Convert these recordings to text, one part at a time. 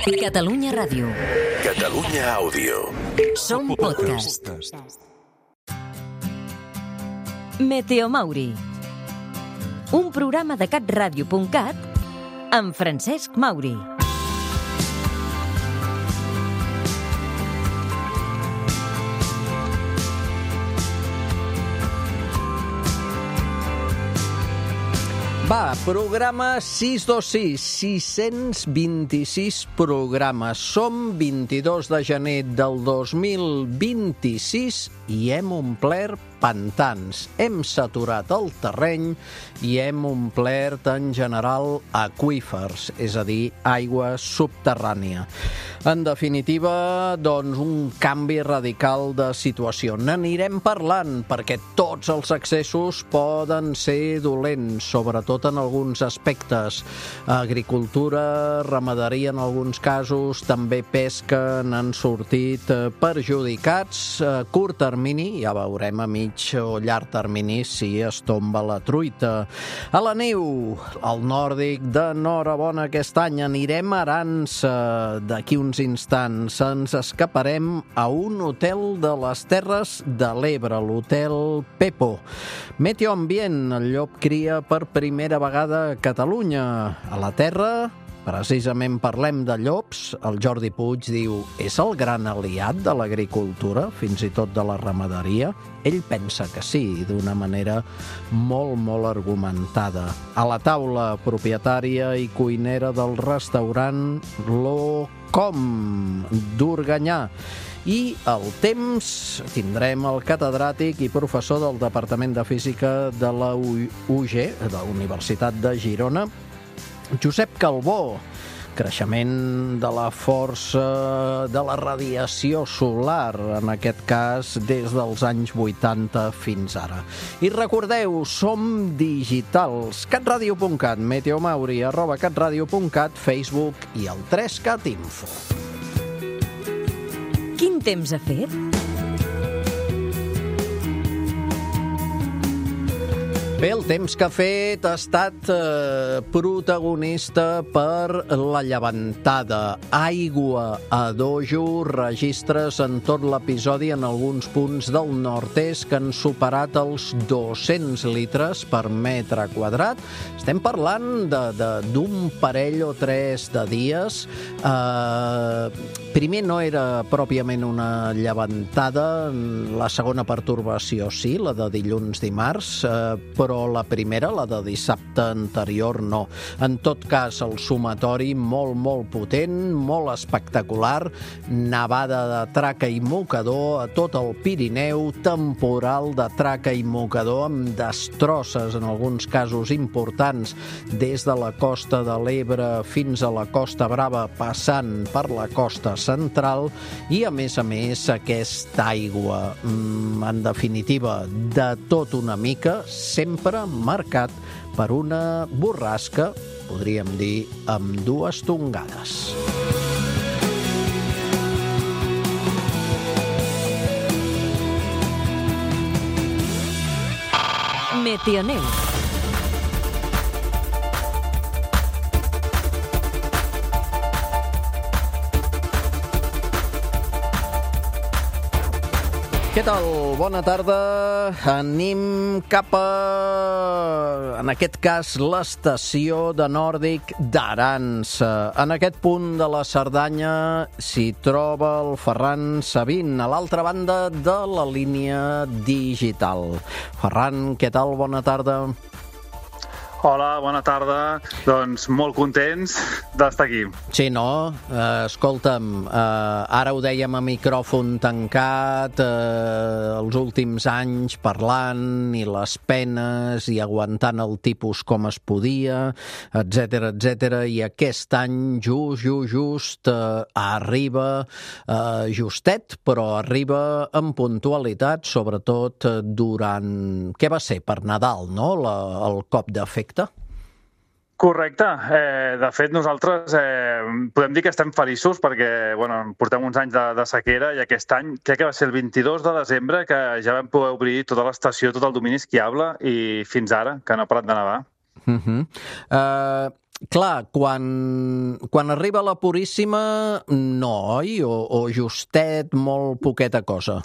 Catalunya Ràdio. Catalunya Àudio. Som podcast. Meteomauri. Un programa de catradio.cat amb Francesc Mauri. Va, programa 626, 626 programes. Som 22 de gener del 2026 i hem omplert pantans. Hem saturat el terreny i hem omplert, en general, aqüífers, és a dir, aigua subterrània. En definitiva, doncs, un canvi radical de situació. N'anirem parlant, perquè tots els excessos poden ser dolents, sobretot en alguns aspectes. Agricultura, ramaderia en alguns casos, també pesca n'han sortit perjudicats. A curt termini, ja veurem a mig o llarg termini si es tomba la truita. A la neu, al nòrdic, d'enhorabona aquest any. Anirem a Arança d'aquí uns instants. Ens escaparem a un hotel de les Terres de l'Ebre, l'Hotel Pepo. Meteoambient, el llop cria per primera vegada a Catalunya. A la Terra, precisament parlem de llops. El Jordi Puig diu, és el gran aliat de l'agricultura, fins i tot de la ramaderia? Ell pensa que sí, d'una manera molt argumentada. A la taula, propietària i cuinera del restaurant Locom d'Organyà. I al temps tindrem el catedràtic i professor del Departament de Física de la UG, de la Universitat de Girona, Josep Calbó. Creixement de la força de la radiació solar, en aquest cas des dels anys 80 fins ara. I recordeu, som digitals. catradio.cat, Meteomauri, @catradio.cat, Facebook i el 3Cat Info. Quin temps ha fet? Bé, el temps que ha fet ha estat protagonista per la llevantada. Aigua a dojo, registres en tot l'episodi en alguns punts del nord-est que han superat els 200 litres per metre quadrat. Estem parlant d'un parell o tres de dies. Primer no era pròpiament una llevantada, la segona pertorbació sí, la de dilluns-dimarts, però la primera, la de dissabte anterior, no. En tot cas, el sumatori molt potent, molt espectacular, nevada de traca i mocador a tot el Pirineu, temporal de traca i mocador amb destrosses, en alguns casos importants, des de la costa de l'Ebre fins a la Costa Brava, passant per la costa central, i a més, aquesta aigua, en definitiva, de tot una mica, sempre marcat per una borrasca, podríem dir, amb dues tongades. Meteoneu. Què tal? Bona tarda. Anem cap a, en aquest cas, l'estació de Nòrdic d'Arança. En aquest punt de la Cerdanya s'hi troba el Ferran Sabin, a l'altra banda de la línia digital. Ferran, què tal? Bona tarda. Hola, bona tarda. Doncs molt contents d'estar aquí. Sí, no? Escolta'm, ara ho dèiem a micròfon tancat, els últims anys parlant i les penes i aguantant el tipus com es podia, etc. I aquest any just arriba justet, però arriba amb puntualitat, sobretot durant... Què va ser? Per Nadal, no? El cop d'efecte. Correcte. De fet, nosaltres podem dir que estem feliços perquè portem uns anys de sequera i aquest any crec que va ser el 22 de desembre que ja vam poder obrir tota l'estació, tot el domini esquiable i fins ara, que no ha parat de nevar. Clar, quan arriba la Puríssima, no, oi? O justet, molt poqueta cosa.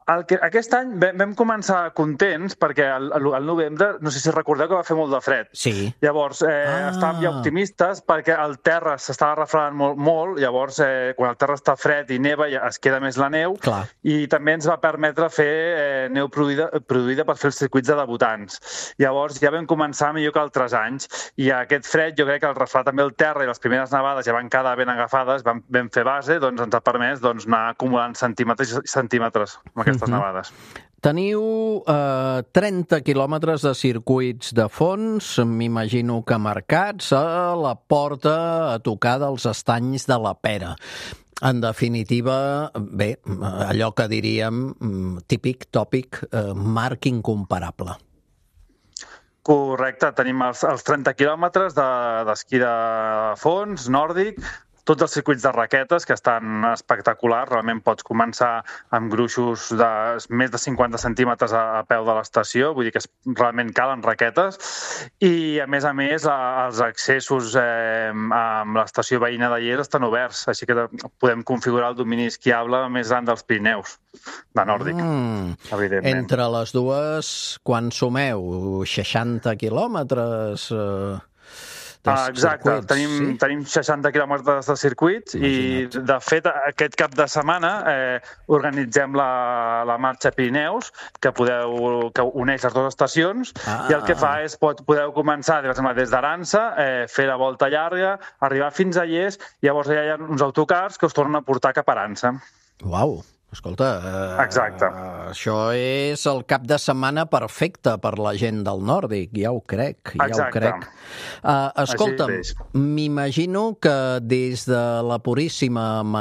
Aquest any vam començar contents perquè al novembre, no sé si recordeu que va fer molt de fred. Sí. Llavors, estàvem ja optimistes perquè el terra s'estava refredant molt. Llavors, quan el terra està fred i neva, ja es queda més la neu. Clar. I també ens va permetre fer neu produïda per fer els circuits de debutants. Llavors, ja vam començar millor que altres anys. I aquest fred, jo crec que el refredar també el terra i les primeres nevades ja van quedar ben agafades, vam fer base, doncs ens ha permès anar acumulant centímetres i centímetres amb aquestes nevades. Teniu 30 quilòmetres de circuits de fons, m'imagino que marcats a la porta a tocar dels estanys de la Pera. En definitiva, bé, allò que diríem típic, tòpic, marc incomparable. Correcte, tenim els 30 quilòmetres d'esquí de fons, nòrdic, tots els circuits de raquetes, que estan espectaculars. Realment pots començar amb gruixos de més de 50 centímetres a peu de l'estació, vull dir que realment calen raquetes. I, a més, els accessos amb l'estació veïna de Llers estan oberts, així que podem configurar el domini esquiable més gran dels Pirineus, de nòrdic, evidentment. Entre les dues, quan sumeu? 60 quilòmetres... Exacte, tenim 60 quilòmetres de circuits. Imagina't. I, de fet, aquest cap de setmana organitzem la marxa Pirineus, que uneix les dues estacions, i el que fa és podeu començar des d'Aransa, fer la volta llarga, arribar fins a Llers, i llavors ja hi ha uns autocars que us tornen a portar cap a Aransa. Uau! Escolta, això és el cap de setmana perfecte per la gent del nòrdic, ja ho crec. Escolta'm, m'imagino que des de la Puríssima, amb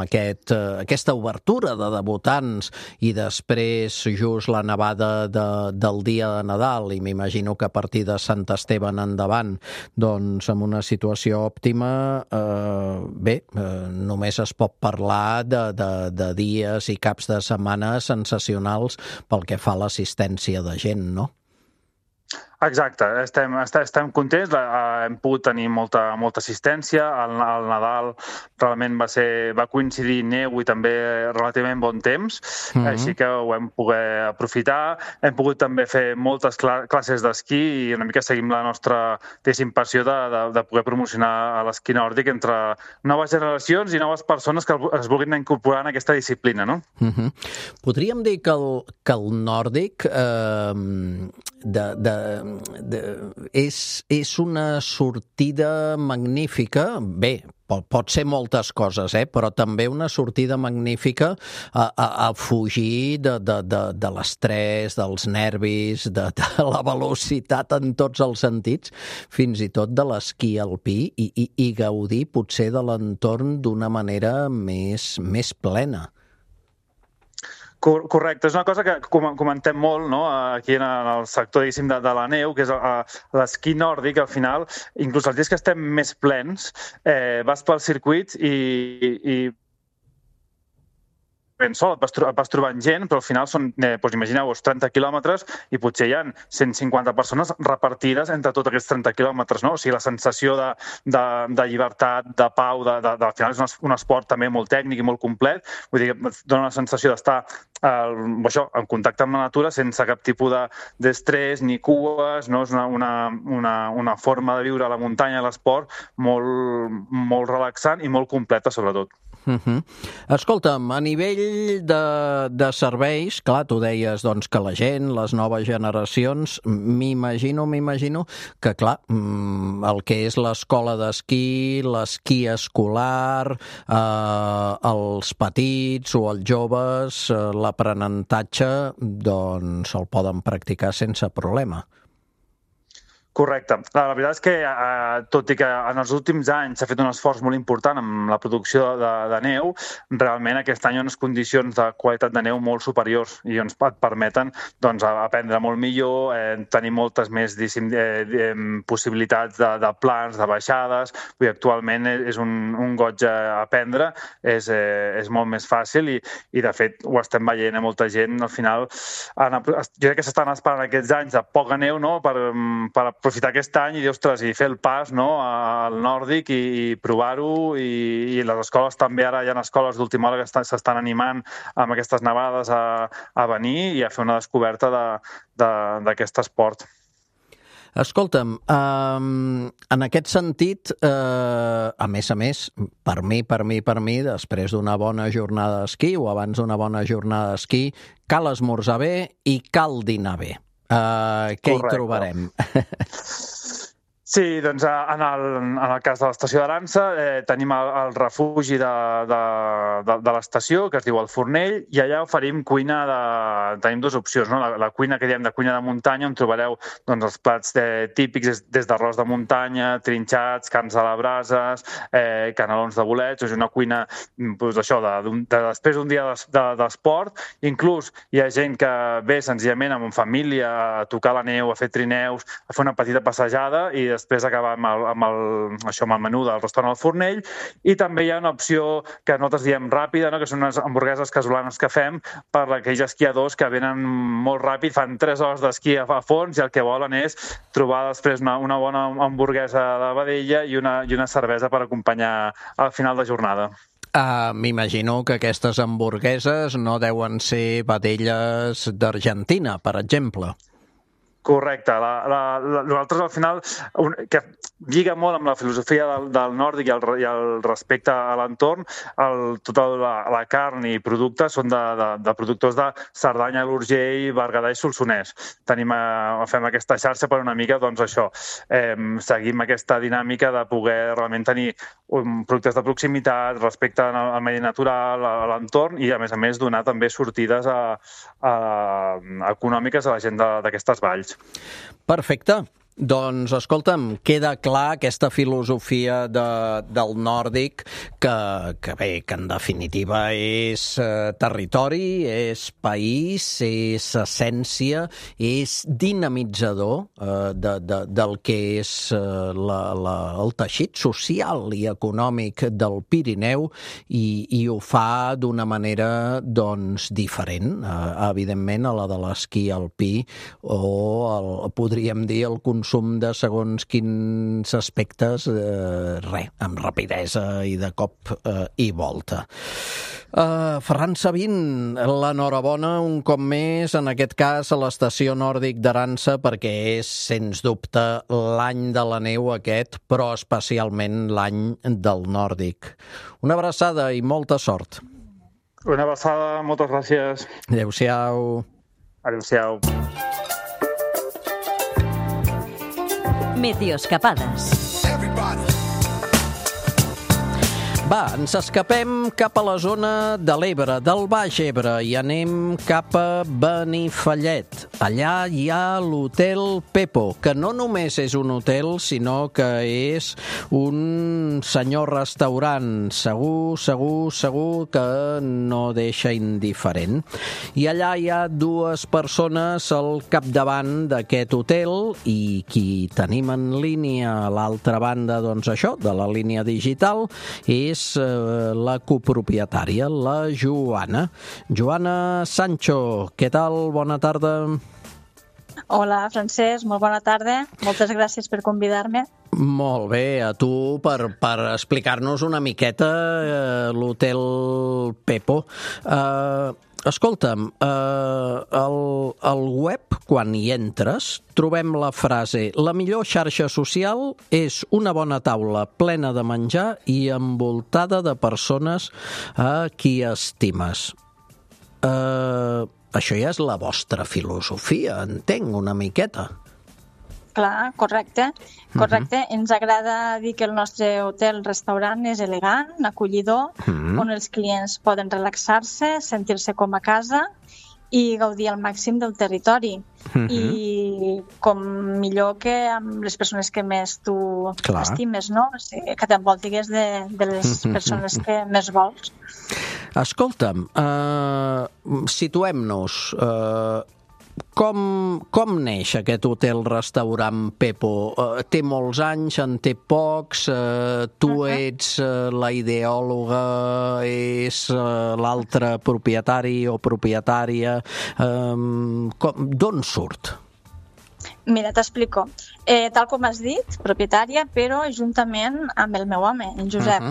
aquesta obertura de debutants i després just la nevada del dia de Nadal, i m'imagino que a partir de Sant Esteve endavant, doncs amb una situació òptima, només es pot parlar de dies i caps de setmana sensacionals pel que fa a l'assistència de gent, no? Exacte, estem contents, hem pogut tenir molta assistència, el Nadal realment va coincidir neu i també relativament bon temps, així que ho hem pogut aprofitar, hem pogut també fer moltes classes d'esquí i una mica seguim la nostra passió de poder promocionar l'esquí nòrdic entre noves generacions i noves persones que es vulguin incorporar en aquesta disciplina, no? Podríem dir que el nòrdic és una sortida magnífica, bé, pot ser moltes coses, però també una sortida magnífica a fugir de l'estrès, dels nervis, de la velocitat en tots els sentits, fins i tot de l'esquí alpí i gaudir potser de l'entorn d'una manera més plena. Correcte, és una cosa que comentem molt, no? Aquí en el sector de la neu, que és l'esquí nòrdic. Al final, inclús els dies que estem més plens, vas pels circuits i ben sol, et vas trobant gent, però al final són, imagineu-vos, 30 quilòmetres i potser hi ha 150 persones repartides entre tots aquests 30 quilòmetres, no? O sigui, la sensació de llibertat, de pau, al final és un esport també molt tècnic i molt complet, vull dir que dona una sensació d'estar en contacte amb la natura sense cap tipus d'estrès ni cues, no? És una forma de viure a la muntanya, a l'esport, molt relaxant i molt completa, sobretot. Escolta'm, a nivell de serveis, clar, tu deies doncs, que la gent, les noves generacions, m'imagino que, clar, el que és l'escola d'esquí, l'esquí escolar, els petits o els joves, l'aprenentatge, doncs el poden practicar sense problema. Correcte. La veritat és que, tot i que en els últims anys s'ha fet un esforç molt important amb la producció de neu, realment aquest any hi ha unes condicions de qualitat de neu molt superiors i ens permeten aprendre molt millor, tenir moltes més possibilitats de plans, de baixades. Actualment és un goig aprendre, és molt més fàcil i de fet ho estem veient a molta gent. Al final, jo crec que s'estan esperant aquests anys de poca neu, no?, per aprofitar aquest any i dir, ostres, i fer el pas, no?, al nòrdic i provar-ho, i les escoles també, ara hi ha escoles d'última hora que s'estan animant amb aquestes nevades a venir i a fer una descoberta d'aquest esport. Escolta'm, en aquest sentit, a més, per mi, després d'una bona jornada d'esquí o abans d'una bona jornada d'esquí, cal esmorzar bé i cal dinar bé. Què hi trobarem? Sí, doncs en el cas de l'estació d'Aransa tenim el refugi de l'estació, que es diu el Fornell, i allà oferim cuina tenim dues opcions, no? La cuina que diem de cuina de muntanya, on trobareu els plats típics des d'arròs de muntanya, trinxats, carns a la brases, canelons de bolets. És una cuina, això, després d'un dia d'esport. Inclús hi ha gent que ve senzillament amb família a tocar la neu, a fer trineus, a fer una petita passejada i després acabar amb el menú del restaurant al Fornell. I també hi ha una opció que nosaltres diem ràpida, no?, que són unes hamburgueses casolanes que fem per aquells esquiadors que venen molt ràpid, fan 3 hores d'esquí a fons i el que volen és trobar després una bona hamburguesa de vedella i una cervesa per acompanyar al final de jornada. M'imagino que aquestes hamburgueses no deuen ser vedelles d'Argentina, per exemple. Correcte. Nosaltres, al final, que lliga molt amb la filosofia del nòrdic i el respecte a l'entorn, tota la carn i productes són de productors de Cerdanya, l'Urgell, Berguedà i Solsonès. Fem aquesta xarxa per una mica, això, seguim aquesta dinàmica de poder realment tenir productes de proximitat, respecte al medi natural, a l'entorn i, a més, donar també sortides econòmiques a la gent d'aquestes valls. Perfecte. Doncs, escolta'm, queda clar aquesta filosofia del nòrdic que en definitiva és territori, és país, és essència, és dinamitzador del que és el teixit social i econòmic del Pirineu i ho fa d'una manera, diferent, evidentment, a la de l'esquí alpí o podríem dir el consum de segons quins aspectes, amb rapidesa i de cop i volta. Ferran Sabin, l'enhorabona un cop més, en aquest cas a l'estació nòrdic d'Aransa, perquè és, sens dubte, l'any de la neu aquest, però especialment l'any del nòrdic. Una abraçada i molta sort. Una abraçada, moltes gràcies. Adéu-siau. Adéu-siau. Meteoscapades. Va, ens escapem cap a la zona de l'Ebre, del Baix Ebre, i anem cap a Benifallet. Allà hi ha l'Hotel Pepo, que no només és un hotel, sinó que és un senyor restaurant. Segur que no deixa indiferent. I allà hi ha 2 persones al capdavant d'aquest hotel i qui tenim en línia a l'altra banda, de la línia digital, és la copropietària, la Joana. Joana Sancho, què tal? Bona tarda. Hola, Francesc, molt bona tarda. Moltes gràcies per convidar-me. Molt bé, a tu per explicar-nos una miqueta l'Hotel Pepo. Escolta'm, al web, quan hi entres, trobem la frase: la millor xarxa social és una bona taula plena de menjar i envoltada de persones a qui estimes. Això ja és la vostra filosofia, entenc, una miqueta. Clar, correcte. Ens agrada dir que el nostre hotel-restaurant és elegant, acollidor, on els clients poden relaxar-se, sentir-se com a casa i gaudir al màxim del territori. I com millor que amb les persones que més tu estimes, no? O sigui, que t'envoltigues de les persones que més vols. Escolta'm, situem-nos. Com neix aquest hotel-restaurant Pepo? Té molts anys, en té pocs, tu ets la ideòloga, és l'altre propietari o propietària. D'on surt? Mira, t'explico. Tal com has dit, propietària, però juntament amb el meu home, en Josep.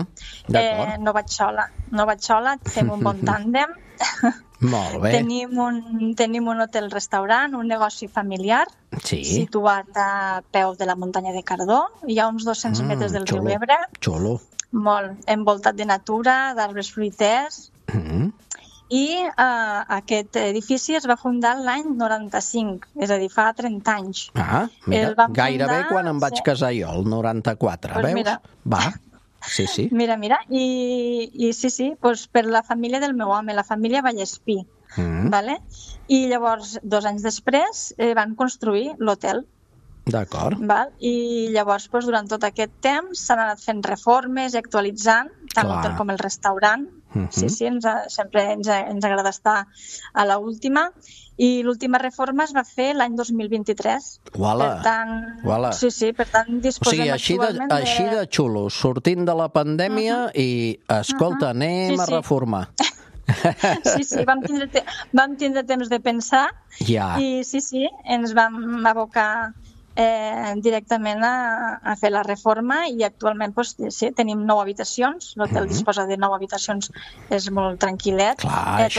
No vaig sola, fem un bon tàndem. Molt bé. Tenim un hotel-restaurant, un negoci familiar, situat a peu de la muntanya de Cardó. Hi ha uns 200 metres del riu Ebre. Xulo. Molt, envoltat de natura, d'arbres fruiters. I aquest edifici es va fundar l'any 95, és a dir, fa 30 anys. Mira, gairebé quan em vaig casar jo, el 94, veus? Mira. Va. Sí. Mira, i sí, doncs per la família del meu home, la família Vallespí, vale? I llavors, 2 anys després, van construir l'hotel. D'acord. I llavors, durant tot aquest temps, s'han anat fent reformes i actualitzant, tant l'hotel com el restaurant. Sí, sempre ens agrada estar a l'última. I l'última reforma es va fer l'any 2023. Uala! Per tant, disposem actualment de... Així de xulo, sortint de la pandèmia i, escolta, anem a reformar. Sí, vam tindre temps de pensar i ens vam abocar directament a fer la reforma i actualment tenim 9 habitacions, l'hotel disposa de 9 habitacions, és molt tranquil·let, totalment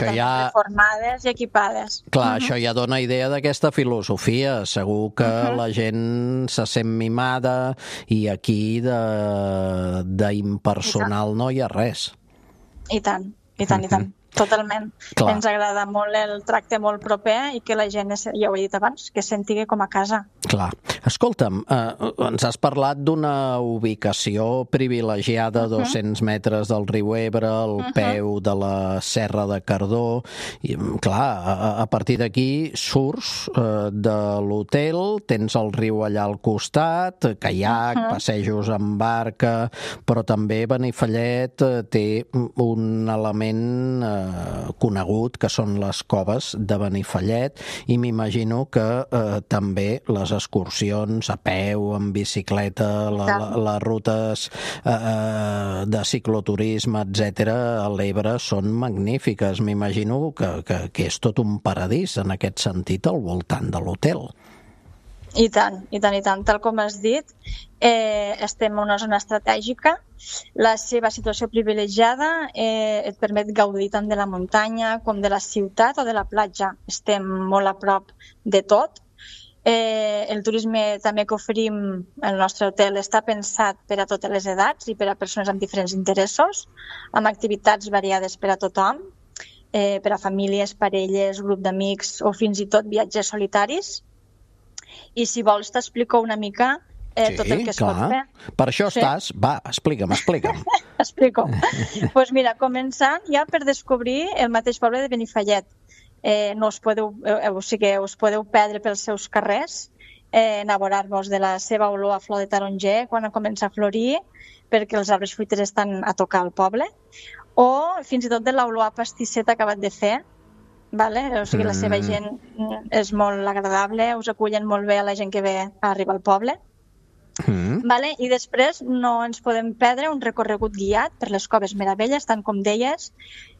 reformades i equipades. Clar, això ja dona idea d'aquesta filosofia, segur que la gent se sent mimada i aquí d'impersonal no hi ha res. I tant. Totalment. Ens agrada molt el tracte molt proper i que la gent, ja ho he dit abans, que es senti com a casa. Clar. Escolta'm, ens has parlat d'una ubicació privilegiada a 200 metres del riu Ebre, al peu de la Serra de Cardó. I, clar, a partir d'aquí surts de l'hotel, tens el riu allà al costat, caiac, passejos amb barca, però també Benifallet té un element conegut, que són les coves de Benifallet, i m'imagino que també les excursions a peu, en bicicleta, les rutes de cicloturisme, etc., a l'Ebre són magnífiques. M'imagino que és tot un paradís en aquest sentit al voltant de l'hotel. I tant. Tal com has dit, estem en una zona estratègica. La seva situació privilegiada et permet gaudir tant de la muntanya com de la ciutat o de la platja. Estem molt a prop de tot. El turisme també que oferim al nostre hotel està pensat per a totes les edats i per a persones amb diferents interessos, amb activitats variades per a tothom, per a famílies, parelles, grup d'amics o fins i tot viatges solitaris. I si vols t'explico una mica tot el que es pot fer. Per això estàs... Va, explica'm. Explico. Doncs mira, començant ja per descobrir el mateix poble de Benifallet. No us podeu perdre pels seus carrers, enamorar-vos de la seva olor a flor de taronger quan comença a florir, perquè els arbres fruiters estan a tocar al poble, o fins i tot de l'olor a pastisseta acabat de fer. O sigui, la seva gent és molt agradable, us acullen molt bé a la gent que ve a arribar al poble. I després no ens podem perdre un recorregut guiat per les coves Meravelles, tant com deies.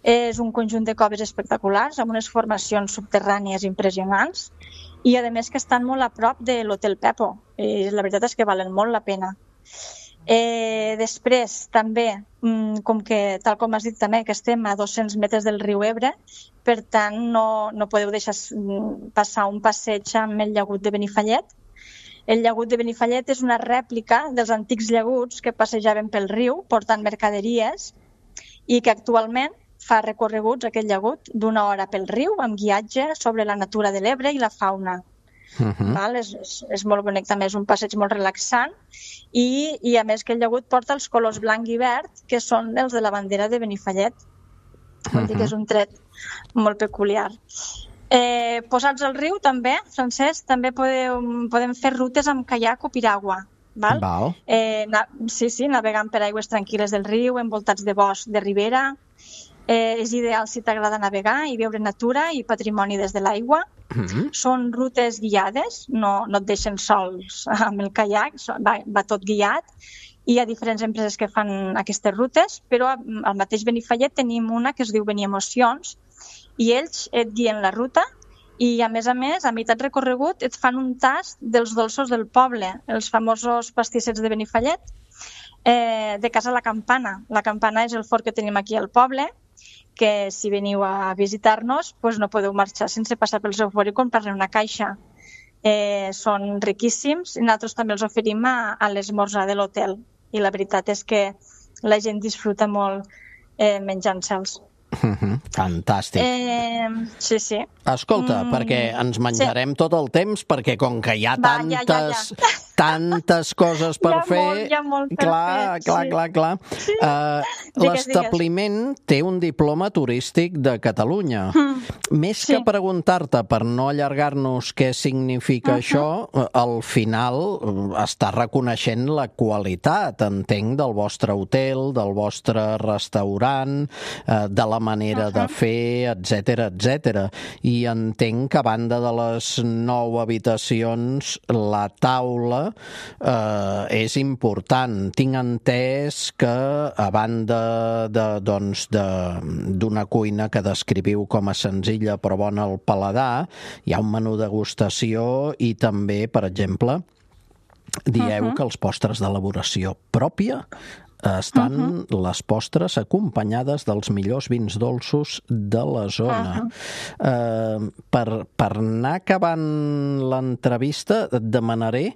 És un conjunt de coves espectaculars, amb unes formacions subterrànies impressionants i, a més, que estan molt a prop de l'Hotel Pepo. I la veritat és que valen molt la pena. Després, també, com que, tal com has dit també, que estem a 200 metres del riu Ebre, per tant, no podeu deixar passar un passeig amb el llagut de Benifallet. El llagut de Benifallet és una rèplica dels antics llaguts que passejaven pel riu portant mercaderies i que actualment fa recorreguts, aquest llagut, d'1 hora pel riu amb guiatge sobre la natura de l'Ebre i la fauna. És molt bonic, també és un passeig molt relaxant i a més que el llagut porta els colors blanc i verd, que són els de la bandera de Benifallet. Vull dir que és un tret molt peculiar. Posats al riu també, Francesc, també podem fer rutes amb caiac o piragua. Val? Sí, navegant per aigües tranquil·les del riu, envoltats de bosc de ribera. És ideal si t'agrada navegar i veure natura i patrimoni des de l'aigua. Són rutes guiades, no et deixen sols amb el caiac, va tot guiat. Hi ha diferents empreses que fan aquestes rutes, però al mateix Benifallet tenim una que es diu Beniemocions i ells et guien la ruta i, a més, a meitat recorregut et fan un tast dels dolços del poble, els famosos pastissets de Benifallet, de Casa La Campana. La Campana és el forn que tenim aquí al poble, que si veniu a visitar-nos no podeu marxar sense passar pel seu forn i comprar-ne una caixa. Són riquíssims i nosaltres també els oferim a l'esmorzar de l'hotel. I la veritat és que la gent disfruta molt menjant-se'ls. Fantàstic. Sí. Escolta, perquè ens menjarem tot el temps, perquè com que hi ha tantes coses per fer... Hi ha molt per fer. Clar. L'establiment té un diploma turístic de Catalunya. Més que preguntar-te, per no allargar-nos què significa això, al final està reconeixent la qualitat, entenc, del vostre hotel, del vostre restaurant, de la manera de fer, etc. I entenc que a banda de les 9 habitacions, la taula és important. Tinc entès que a banda d'una cuina que descriviu com a senzilla però bona al paladar, hi ha un menú degustació i també, per exemple, dieu que els postres d'elaboració pròpia estan les postres acompanyades dels millors vins dolços de la zona. Per anar acabant l'entrevista et demanaré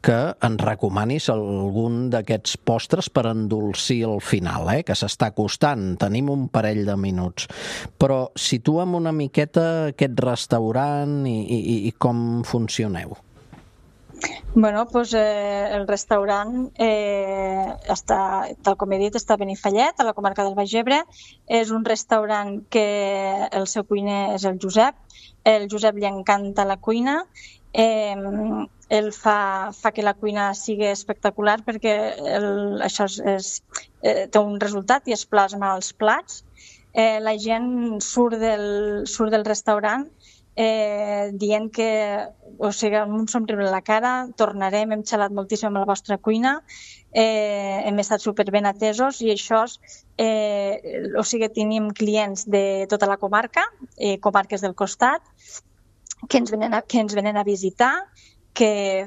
que ens recomanis algun d'aquests postres per endolcir al final, que s'està acostant. Tenim un parell de minuts. Però situa'm una miqueta aquest restaurant i com funcioneu. El restaurant està, tal com he dit, està a Benifallet, a la comarca del Baix Ebre. És un restaurant que el seu cuiner és el Josep. El Josep li encanta la cuina. Ell fa que la cuina sigui espectacular perquè això té un resultat i es plasma als plats. La gent surt del restaurant dient que, amb un somriure a la cara, tornarem, hem xalat moltíssim amb la vostra cuina, hem estat superben atesos i això, tenim clients de tota la comarca, comarques del costat, que ens venen a visitar, que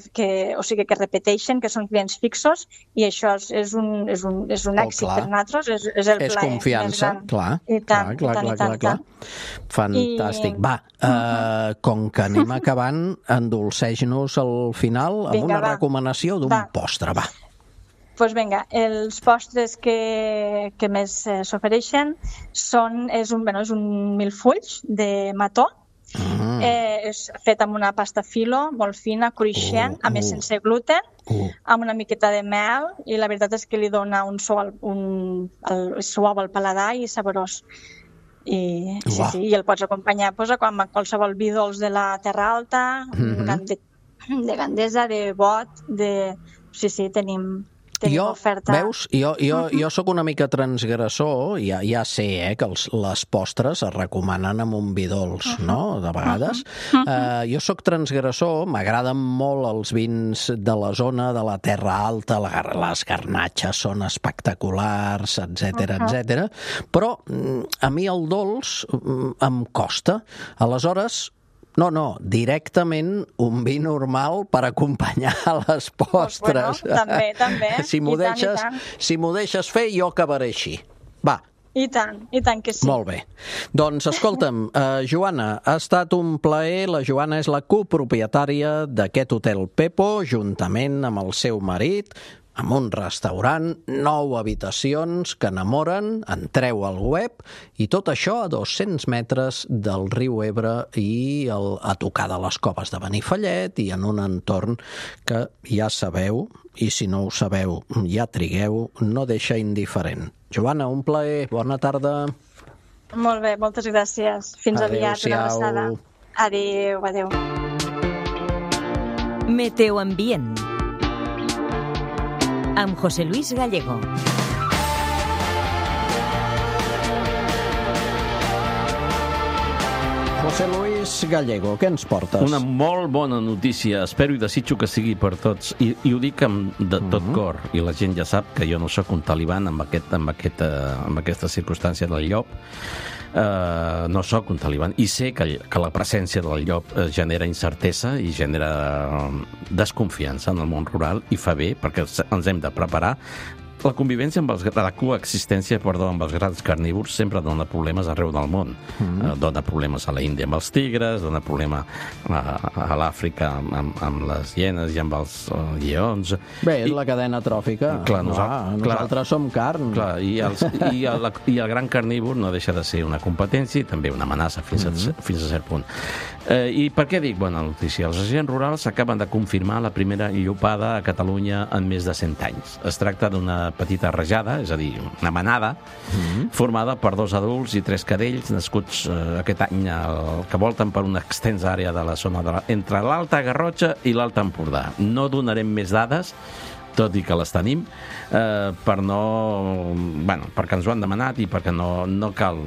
repeteixen, que són clients fixos, i això és un èxit per nosaltres, és el plaer. És confiança, clar. I tant. Fantàstic. Va, com que anem acabant, endolceix-nos al final amb una recomanació d'un postre, va. Doncs vinga, els postres que més s'ofereixen és un milfolls de mató. És fet amb una pasta filo molt fina, cruixent, a més sense gluten, amb una miqueta de mel, i la veritat és que li dona un suau al paladar i saborós. I el pots acompanyar amb qualsevol vi dolç de la Terra Alta, de Gandesa, de Bot, tenim oferta. Veus, jo soc una mica transgressor, ja sé que les postres es recomanen amb un vi dolç, no?, de vegades. Jo soc transgressor, m'agraden molt els vins de la zona de la Terra Alta, les garnatxes són espectaculars, etc. Però a mi el dolç em costa. Aleshores, no, directament un vi normal per acompanyar les postres. També. Si m'ho deixes fer, jo acabaré així. Va. I tant que sí. Molt bé. Doncs escolta'm, Joana, ha estat un plaer. La Joana és la copropietària d'aquest Hotel Pepo, juntament amb el seu marit, amb un restaurant, 9 habitacions que enamoren. Entreu al web i tot això a 200 metres del riu Ebre i a tocar de les coves de Benifallet i en un entorn que ja sabeu, i si no ho sabeu ja trigueu, no deixa indiferent. Joana, un plaer, bona tarda. Molt bé, moltes gràcies. Fins aviat, una abraçada. Adéu, adéu. Meteoambient amb José Luis Gallego. José Luis Gallego, què ens portes? Una molt bona notícia, espero i desitjo que sigui per tots, i ho dic de tot cor, i la gent ja sap que jo no sóc un taliban amb aquesta circumstància del llop. No sóc un taliban i sé que la presència del llop genera incertesa i genera desconfiança en el món rural, i fa bé perquè ens hem de preparar. La convivència amb la coexistència amb els grans carnívors sempre dona problemes arreu del món. Dona problemes a la Índia amb els tigres, dona problema a l'Àfrica amb les hienes i amb els lleons. Bé, és la cadena tròfica. Clar, nosaltres som carn. Clar, i el gran carnívor no deixa de ser una competència i també una amenaça fins a cert punt. I per què dic bona notícia? Els agents rurals acaben de confirmar la primera llopada a Catalunya en més de 100 anys. Es tracta d'una petita rajada, és a dir, una manada, formada per 2 adults i 3 cadells, nascuts aquest any que volten per una extensa àrea de la zona entre l'Alta Garrotxa i l'Alt Empordà. No donarem més dades, tot i que les tenim, perquè ens ho han demanat i perquè no cal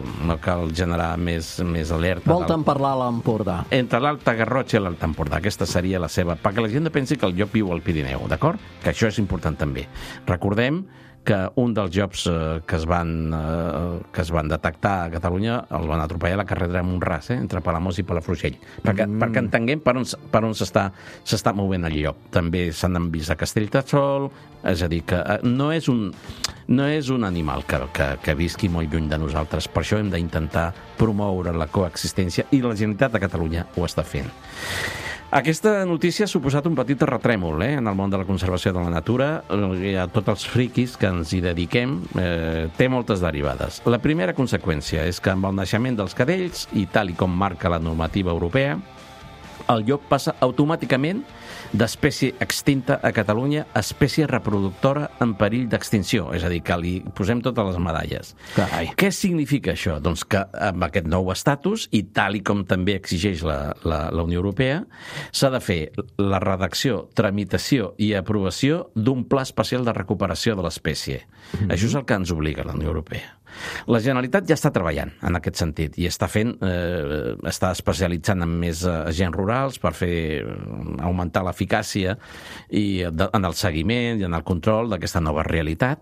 generar més alerta. Volten parlar a l'Empordà. Entre l'Alta Garrotxa i l'Alt Empordà. Aquesta seria la seva... Perquè la gent no pensi que el llop viu al Pirineu, d'acord? Que això és important també. Recordem que un dels llops que es van detectar a Catalunya el van atropellar a la carretera de Montràs, entre Palamós i Palafrugell, perquè entenguem per on s'està movent el llop. També se n'han vist a Castellterçol, és a dir, que no és un animal que visqui molt lluny de nosaltres. Per això hem d'intentar promoure la coexistència i la Generalitat de Catalunya ho està fent. Aquesta notícia ha suposat un petit terratrèmol en el món de la conservació de la natura. A tots els friquis que ens hi dediquem té moltes derivades. La primera conseqüència és que amb el naixement dels cadells, i tal i com marca la normativa europea, el llop passa automàticament d'espècie extinta a Catalunya a espècie reproductora en perill d'extinció. És a dir, que li posem totes les medalles. Carai. Què significa això? Doncs que amb aquest nou estatus, i tal i com també exigeix la Unió Europea, s'ha de fer la redacció, tramitació i aprovació d'un pla especial de recuperació de l'espècie. Això és el que ens obliga la Unió Europea. La Generalitat ja està treballant en aquest sentit i està especialitzant en més agents rurals per augmentar l'eficàcia en el seguiment i en el control d'aquesta nova realitat,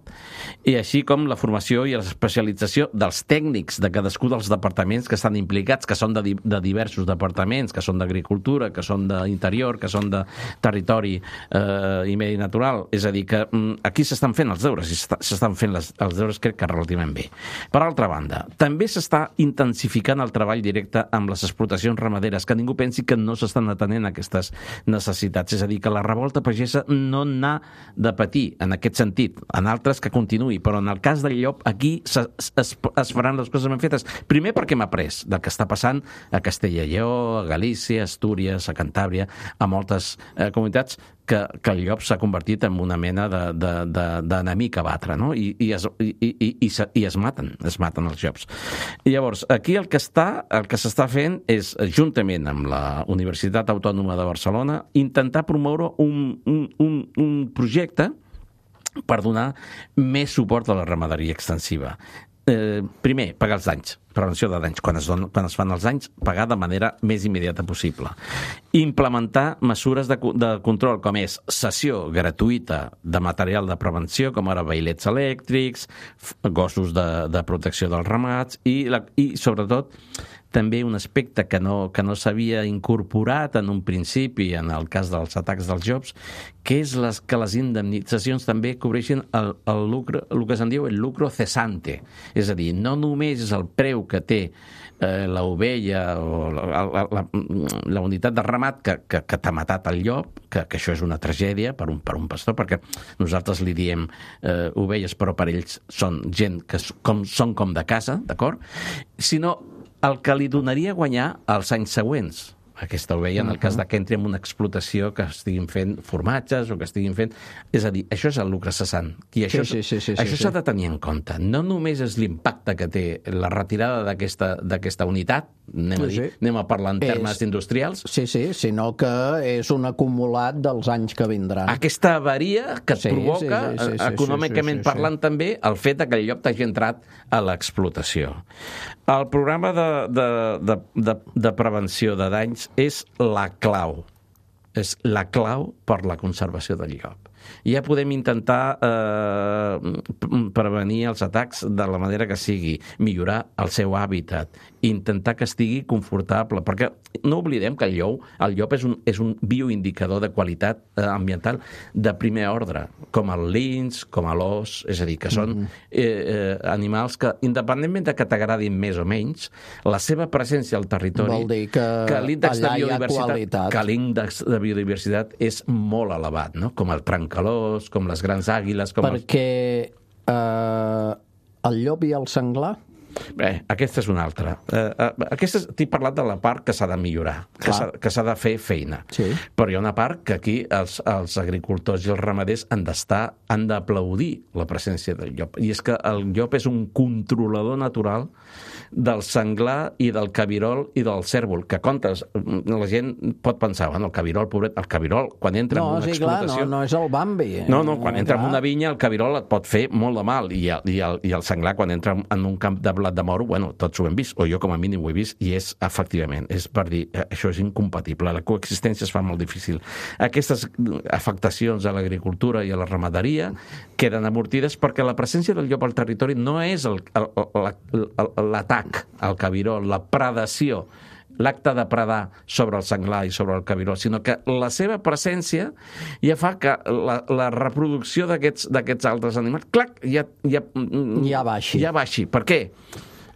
i així com la formació i l'especialització dels tècnics de cadascun dels departaments que estan implicats, que són de diversos departaments, que són d'Agricultura, que són d'Interior, que són de Territori i Medi Natural. És a dir, que aquí s'estan fent els deures, i s'estan fent els deures crec que relativament bé. Per altra banda, també s'està intensificant el treball directe amb les explotacions ramaderes, que ningú pensi que no s'estan atenent a aquestes necessitats. És a dir, que la revolta pagesa no n'ha de patir en aquest sentit, en altres que continuï, però en el cas del llop aquí es faran les coses ben fetes. Primer perquè hem après del que està passant a Castella i Lleó, a Galícia, a Astúries, a Cantàbria, a moltes comunitats que el llop s'ha convertit en una mena d'enemic a batre, no? I es maten els llops. I llavors, aquí el que s'està fent és, juntament amb la Universitat Autònoma de Barcelona, intentar promoure un projecte per donar més suport a la ramaderia extensiva. Primer, pagar els danys, prevenció de danys. Quan es fan els danys, pagar de manera més immediata possible. Implementar mesures de control, com és cessió gratuïta de material de prevenció, com ara vailets elèctrics, gossos de protecció dels ramats i sobretot, també un aspecte que no s'havia incorporat en un principi en el cas dels atacs dels llops, que és que les indemnitzacions també cobreixen el lucre, el que se'n diu el lucro cesante. És a dir, no només és el preu que té l'ovella o la unitat de ramat que t'ha matat el llop, que això és una tragèdia per un pastor, perquè nosaltres li diem ovelles, però per ells són gent que són com de casa, d'acord? Sinó el que li donaria a guanyar els anys següents. aquesta ovella, en el cas que entri en una explotació que estiguin fent formatges o que estiguin fent... És a dir, això és el lucre cessant. I això s'ha de tenir en compte. No només és l'impacte que té la retirada d'aquesta unitat, anem a parlar en termes industrials. Sí, sinó que és un acumulat dels anys que vindran. Aquesta avaria que et provoca, econòmicament parlant també, el fet que el llop t'hagi entrat a l'explotació. El programa de prevenció de danys és la clau. És la clau per la conservació del llop. Ja podem intentar prevenir els atacs de la manera que sigui, millorar el seu hàbitat, intentar que estigui confortable, perquè no oblidem que el llop és un bioindicador de qualitat ambiental de primer ordre, com el linx, com l'os, és a dir, que són animals que, independentment de que t'agradin més o menys, la seva presència al territori... Vol dir que l'índex allà hi ha qualitat. Que l'índex de biodiversitat és molt elevat, no? Com el trencalós, com les grans àguiles... Perquè el llop i el senglar... Bé, aquesta és una altra. T'he parlat de la part que s'ha de millorar, que s'ha de fer feina. Sí. Però hi ha una part que aquí els agricultors i els ramaders han d'aplaudir la presència del llop. I és que el llop és un controlador natural del senglar i del cabirol i del cèrvol, que comptes, la gent pot pensar, bueno, el cabirol, pobret, el cabirol, quan entra en una explotació... No és el Bambi. No, quan entra en una vinya, el cabirol et pot fer molt de mal, i el senglar, quan entra en un camp de blat de moro, bueno, tots ho hem vist, o jo com a mínim ho he vist, i és, efectivament, és per dir, això és incompatible, la coexistència es fa molt difícil. Aquestes afectacions a l'agricultura i a la ramaderia queden amortides perquè la presència del llop al territori no és l'atac al cabirol, la predació, l'acte de predar sobre el senglar i sobre el cabirol, sinó que la seva presència ja fa que la reproducció d'aquests altres animals, clac, ja baixi. Per què?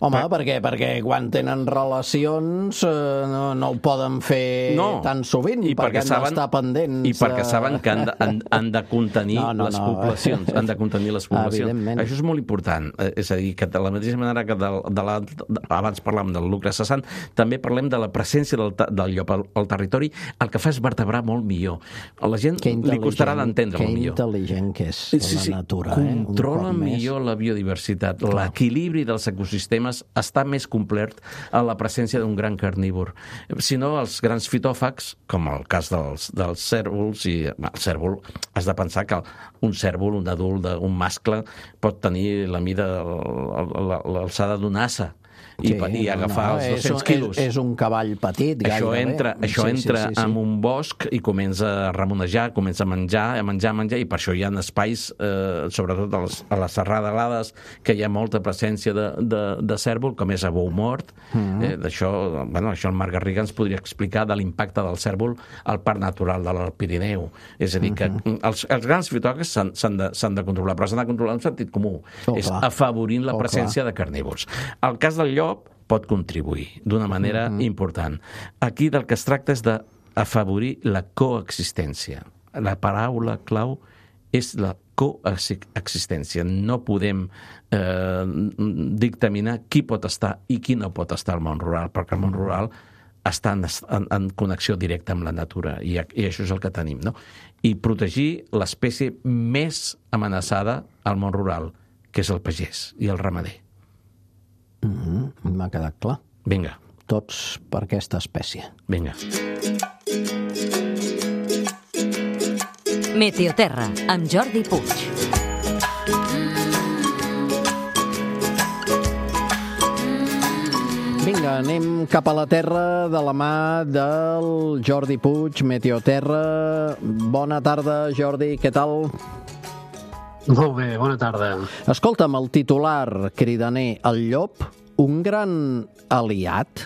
Home, perquè quan tenen relacions no ho poden fer tan sovint, perquè han d'estar pendents. I perquè saben que han de contenir les poblacions. Han de contenir les poblacions. Això és molt important. És a dir, que de la mateixa manera que abans parlàvem del lucre cessant, també parlem de la presència del llop al territori, el que fa és vertebrar molt millor. A la gent li costarà d'entendre molt millor. Que intel·ligent que és la natura. Controla millor la biodiversitat. L'equilibri dels ecosistemes està més complet a la presència d'un gran carnívor. Si no, els grans fitòfags, com el cas dels cèrvols, i el cèrvol, has de pensar que un cèrvol, un adult, un mascle, pot tenir la mida, l'alçada d'un assa, i agafar els 200 quilos. És un cavall petit, gairebé. Això entra en un bosc i comença a remonejar, comença a menjar, i per això hi ha espais, sobretot a les serralades, que hi ha molta presència de cèrvol, com és a bou mort. Això el Marc Garriga ens podria explicar de l'impacte del cèrvol al Parc Natural de l'Alt Pirineu. És a dir, que els grans fitòfags s'han de controlar, però s'han de controlar en sentit comú. És afavorint la presència de carnívors. El cas del llop pot contribuir d'una manera important. Aquí del que es tracta és d'afavorir la coexistència. La paraula clau és la coexistència. No podem dictaminar qui pot estar i qui no pot estar al món rural, perquè el món rural està en connexió directa amb la natura, i això és el que tenim, no? I protegir l'espècie més amenaçada al món rural, que és el pagès i el ramader. M'ha quedat clar. Vinga. Tots per aquesta espècie. Vinga. Meteoterra, amb Jordi Puig. Vinga, anem cap a la terra de la mà del Jordi Puig, Meteoterra. Bona tarda, Jordi, què tal? Molt bé, bona tarda. Escolta'm, el titular cridaner, el llop, un gran aliat?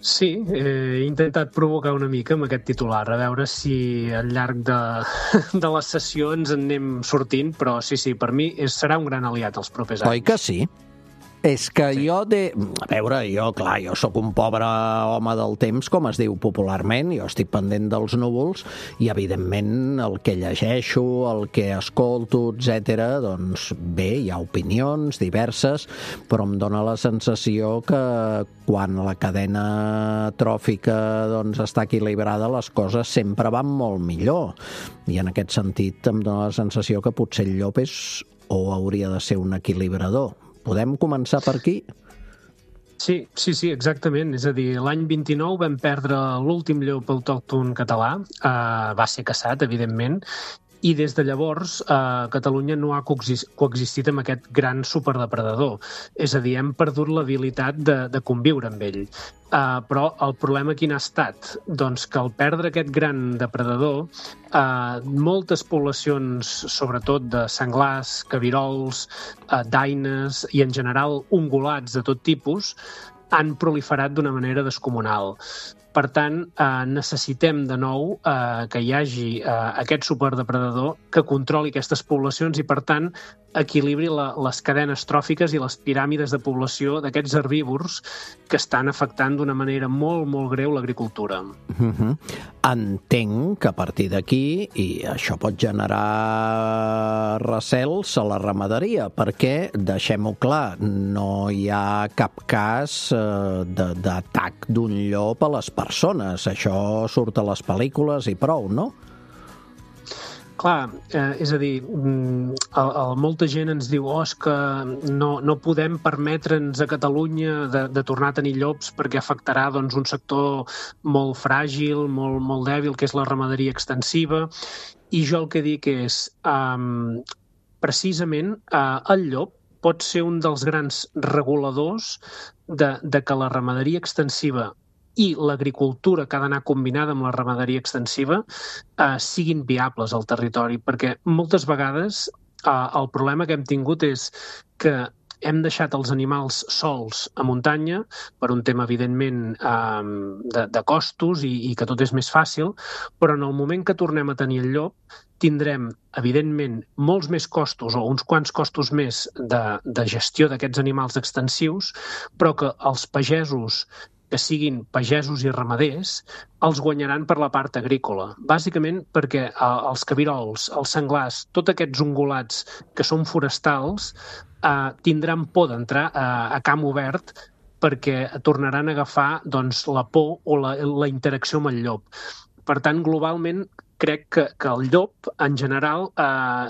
Sí, he intentat provocar una mica amb aquest titular, a veure si al llarg de les sessions en anem sortint, però sí, per mi serà un gran aliat els propers anys. Oi que sí? És que jo a veure, jo sóc un pobre home del temps, com es diu popularment, jo estic pendent dels núvols i, evidentment, el que llegeixo, el que escolto, etc., doncs bé, hi ha opinions diverses, però em dóna la sensació que quan la cadena tròfica doncs, està equilibrada, les coses sempre van molt millor. I en aquest sentit em dóna la sensació que potser el llop o hauria de ser un equilibrador. Podem començar per aquí? Sí, exactament. És a dir, l'any 29 vam perdre l'últim llop autòcton català, va ser caçat, evidentment, i des de llavors Catalunya no ha coexistit amb aquest gran superdepredador. És a dir, hem perdut l'habilitat de conviure amb ell. Però el problema quin ha estat? Doncs que al perdre aquest gran depredador, moltes poblacions, sobretot de senglars, cabirols, daines i en general ungulats de tot tipus, han proliferat d'una manera descomunal. Per tant, necessitem de nou que hi hagi aquest superdepredador que controli aquestes poblacions i, per tant, equilibri les cadenes tròfiques i les piràmides de població d'aquests herbívors que estan afectant d'una manera molt, molt greu l'agricultura. Entenc que a partir d'aquí, i això pot generar recels a la ramaderia, perquè, deixem-ho clar, no hi ha cap cas d'atac d'un llop a les persones. Això surt a les pel·lícules i prou, no? Clar, és a dir, molta gent ens diu és que no podem permetre'ns a Catalunya de tornar a tenir llops perquè afectarà doncs, un sector molt fràgil, molt dèbil, que és la ramaderia extensiva. I jo el que dic és, precisament, el llop pot ser un dels grans reguladors de que la ramaderia extensiva i l'agricultura que ha d'anar combinada amb la ramaderia extensiva siguin viables al territori, perquè moltes vegades el problema que hem tingut és que hem deixat els animals sols a muntanya per un tema, evidentment, de costos i que tot és més fàcil, però en el moment que tornem a tenir el llop tindrem, evidentment, molts més costos o uns quants costos més de gestió d'aquests animals extensius, però que els pagesos que siguin pagesos i ramaders, els guanyaran per la part agrícola. Bàsicament perquè els cabirols, els senglars, tots aquests ungulats que són forestals, tindran por d'entrar a camp obert perquè tornaran a agafar doncs, la por o la interacció amb el llop. Per tant, globalment, crec que el llop, en general,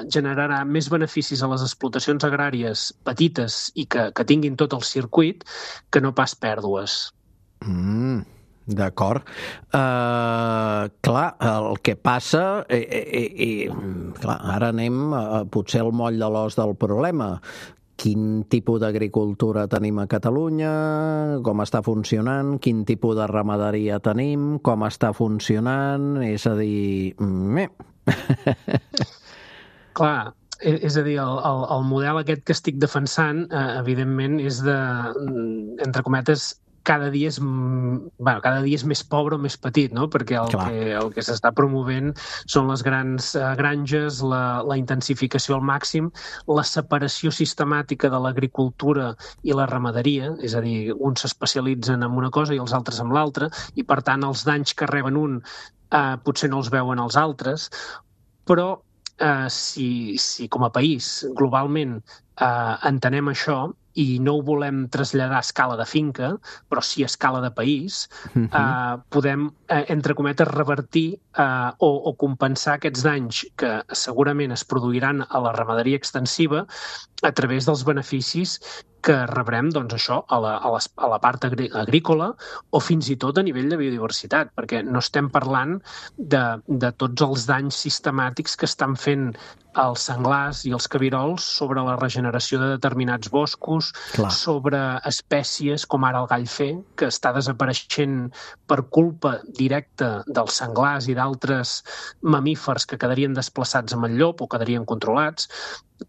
generarà més beneficis a les explotacions agràries petites i que tinguin tot el circuit que no pas pèrdues. D'acord. Clar, el que passa clar, ara anem potser al moll de l'os del problema. Quin tipus d'agricultura tenim a Catalunya, com està funcionant, quin tipus de ramaderia tenim, com està funcionant, és a dir... Clar, és a dir, el model aquest que estic defensant, evidentment, és de, entre cometes, cada dia és més pobre o més petit, no? Perquè el que s'està promovent són les grans granges, la intensificació al màxim, la separació sistemàtica de l'agricultura i la ramaderia, és a dir, uns s'especialitzen en una cosa i els altres en l'altra, i per tant els danys que reben un potser no els veuen els altres, però si com a país globalment entenem això i no ho volem traslladar a escala de finca, però sí a escala de país, podem, entre cometes, revertir o compensar aquests danys que segurament es produiran a la ramaderia extensiva a través dels beneficis que rebrem, doncs, això, a la part agrícola o fins i tot a nivell de biodiversitat, perquè no estem parlant de tots els danys sistemàtics que estan fent els senglars i els cabirols sobre la regeneració de determinats boscos, sobre espècies com ara el gall fer, que està desapareixent per culpa directa dels senglars i d'altres mamífers que quedarien desplaçats amb el llop o quedarien controlats.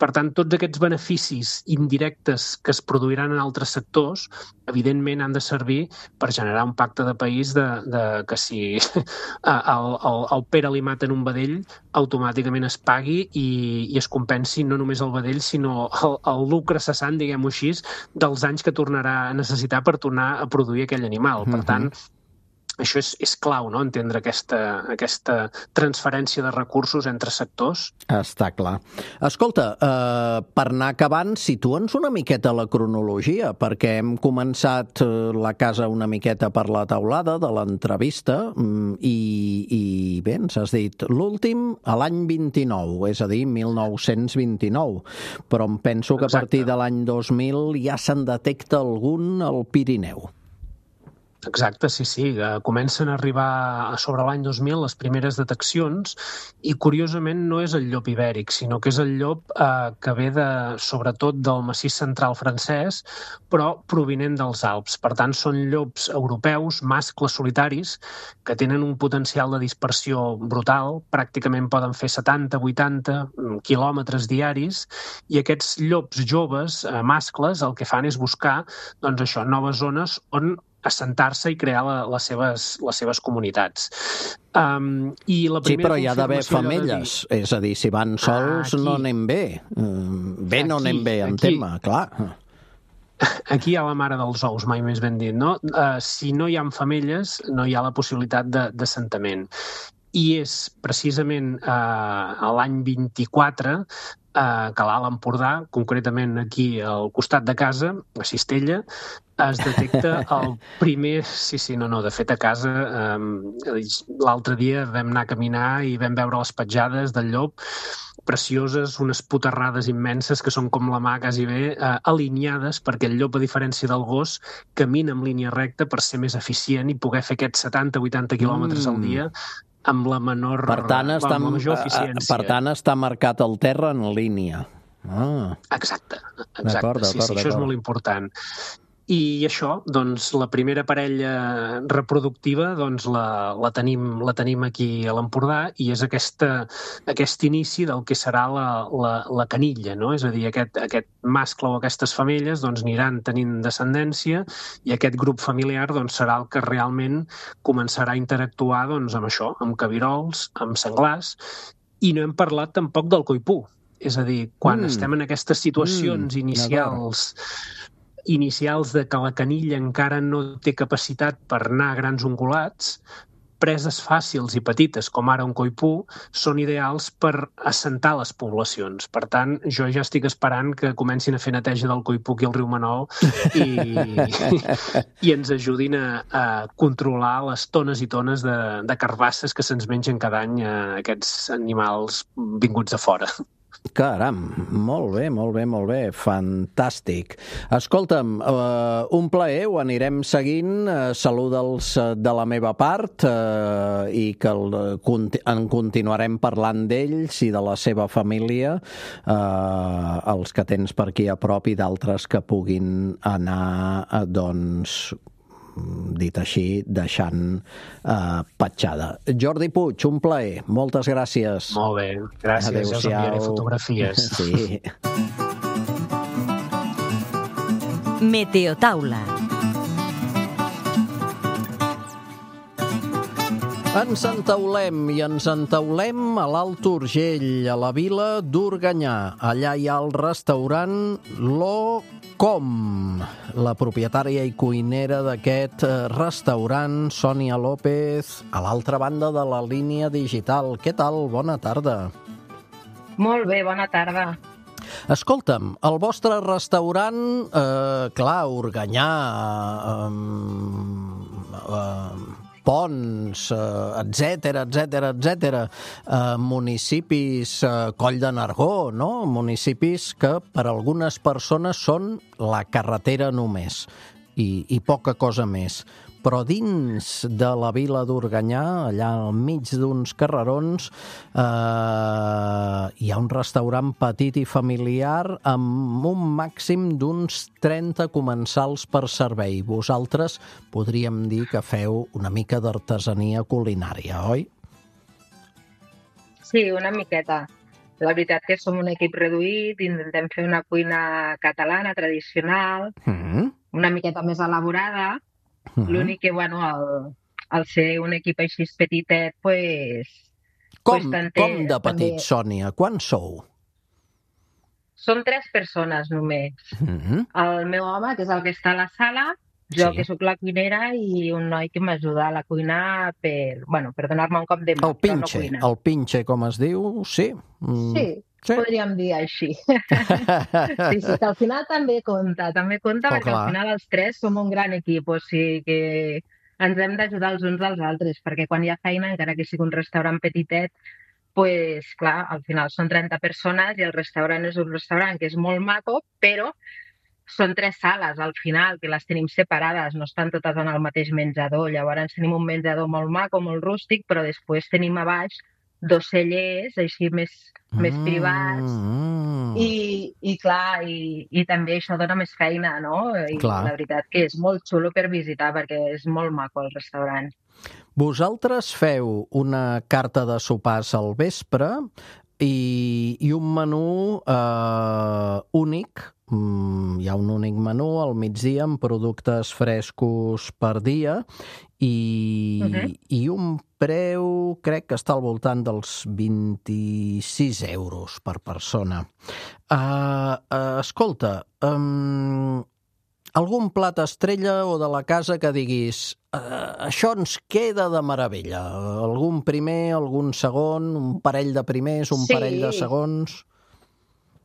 Per tant, tots aquests beneficis indirectes que es produiran en altres sectors, evidentment han de servir per generar un pacte de país que si el Pere li maten un vedell, automàticament es pagui i es compensi no només el vedell, sinó el lucre cessant, diguem-ho així, dels anys que tornarà a necessitar per tornar a produir aquell animal. Per tant, això és clau, no?, entendre aquesta transferència de recursos entre sectors. Està clar. Escolta, per anar acabant, situa'ns una miqueta la cronologia, perquè hem començat la casa una miqueta per la taulada de l'entrevista i bé, ens has dit l'últim a l'any 29, és a dir, 1929, però em penso que a partir de l'any 2000 ja se'n detecta algun al Pirineu. Exacte, sí. Comencen a arribar sobre l'any 2000 les primeres deteccions i, curiosament, no és el llop ibèric, sinó que és el llop que ve sobretot del massís central francès, però provinent dels Alps. Per tant, són llops europeus, mascles solitaris, que tenen un potencial de dispersió brutal, pràcticament poden fer 70-80 quilòmetres diaris, i aquests llops joves, mascles, el que fan és buscar noves zones on assentar-se i crear les seves comunitats. Sí, però hi ha d'haver femelles. És a dir, si van sols no anem bé. No anem bé en tema, clar. Aquí hi ha la mare dels ous, mai més ben dit, no? Si no hi ha femelles, no hi ha la possibilitat d'assentament. I és precisament a l'any 24 que l'Alt Empordà, concretament aquí al costat de casa, a Cistella, es detecta el primer... De fet, a casa, l'altre dia vam anar a caminar i vam veure les petjades del llop, precioses, unes puterrades immenses que són com la mà quasi bé, alineades, perquè el llop, a diferència del gos, camina en línia recta per ser més eficient i poder fer aquests 70-80 quilòmetres al dia amb la major eficiència. Per tant, està marcat el terra en línia. Exacte. Sí, això és molt important. I això, doncs, la primera parella reproductiva, doncs, la tenim aquí a l'Empordà i és aquest inici del que serà la canilla, no? És a dir, aquest mascle o aquestes femelles doncs, aniran tenint descendència i aquest grup familiar doncs, serà el que realment començarà a interactuar doncs, amb això, amb cabirols, amb senglars, i no hem parlat tampoc del coipú. És a dir, quan estem en aquestes situacions inicials de que la canilla encara no té capacitat per anar a grans ungulats, preses fàcils i petites, com ara un coipú, són ideals per assentar les poblacions. Per tant, jo ja estic esperant que comencin a fer neteja del coipú aquí al riu Manol i ens ajudin a controlar les tones i tones de carbasses que se'ns mengen cada any aquests animals vinguts de fora. Caram, molt bé, fantàstic. Escolta'm, un plaer, ho anirem seguint, saluda'ls de la meva part i que en continuarem parlant d'ells i de la seva família, els que tens per aquí a prop i d'altres que puguin anar, doncs, dit així, deixant petjada. Jordi Puig, un plaer. Moltes gràcies. Molt bé, gràcies. Adéu-siau. Ja us enviaré fotografies. Sí. Meteotaula. Ens entaulem a l'Alt Urgell, a la vila d'Organyà. Allà hi ha el restaurant Lo.com. La propietària i cuinera d'aquest restaurant, Sònia López, a l'altra banda de la línia digital. Què tal? Bona tarda. Molt bé, bona tarda. Escolta'm, el vostre restaurant, clar, Organyà, Ponts, etcètera, municipis, Coll de Nargó, no? Municipis que per algunes persones són la carretera només i poca cosa més. Però dins de la vila d'Organyà, allà al mig d'uns carrerons, hi ha un restaurant petit i familiar amb un màxim d'uns 30 comensals per servei. Vosaltres podríem dir que feu una mica d'artesania culinària, oi? Sí, una miqueta. La veritat que som un equip reduït, intentem fer una cuina catalana, tradicional, una miqueta més elaborada. L'únic que, bueno, al ser un equip així petitet, pues... Com de petit, Sònia? Quants sou? Som 3 persones només. El meu home, que és el que està a la sala, jo, que sóc la cuinera, i un noi que m'ajuda a la cuina per donar-me un cop de mà, però no cuina. El pinche, com es diu, sí. Sí, podríem dir així. Sí, que al final també compta, perquè al final els 3 som un gran equip, o sigui que ens hem d'ajudar els uns als altres, perquè quan hi ha feina, encara que sigui un restaurant petitet, pues, clar, al final són 30 persones i el restaurant és un restaurant que és molt maco, però són 3 sales al final, que les tenim separades, no estan totes en el mateix menjador. Llavors tenim un menjador molt maco, molt rústic, però després tenim a baix 2 cellers, així més privats, i clar, i també això dona més feina, no? I la veritat que és molt xulo per visitar, perquè és molt maco el restaurant. Vosaltres feu una carta de sopars al vespre i un menú únic. Hi ha un únic menú al migdia amb productes frescos per dia i un preu, crec que està al voltant dels 26 euros per persona. Escolta, algun plat estrella o de la casa que diguis això ens queda de meravella? Algun primer, algun segon, un parell de primers, un parell de segons?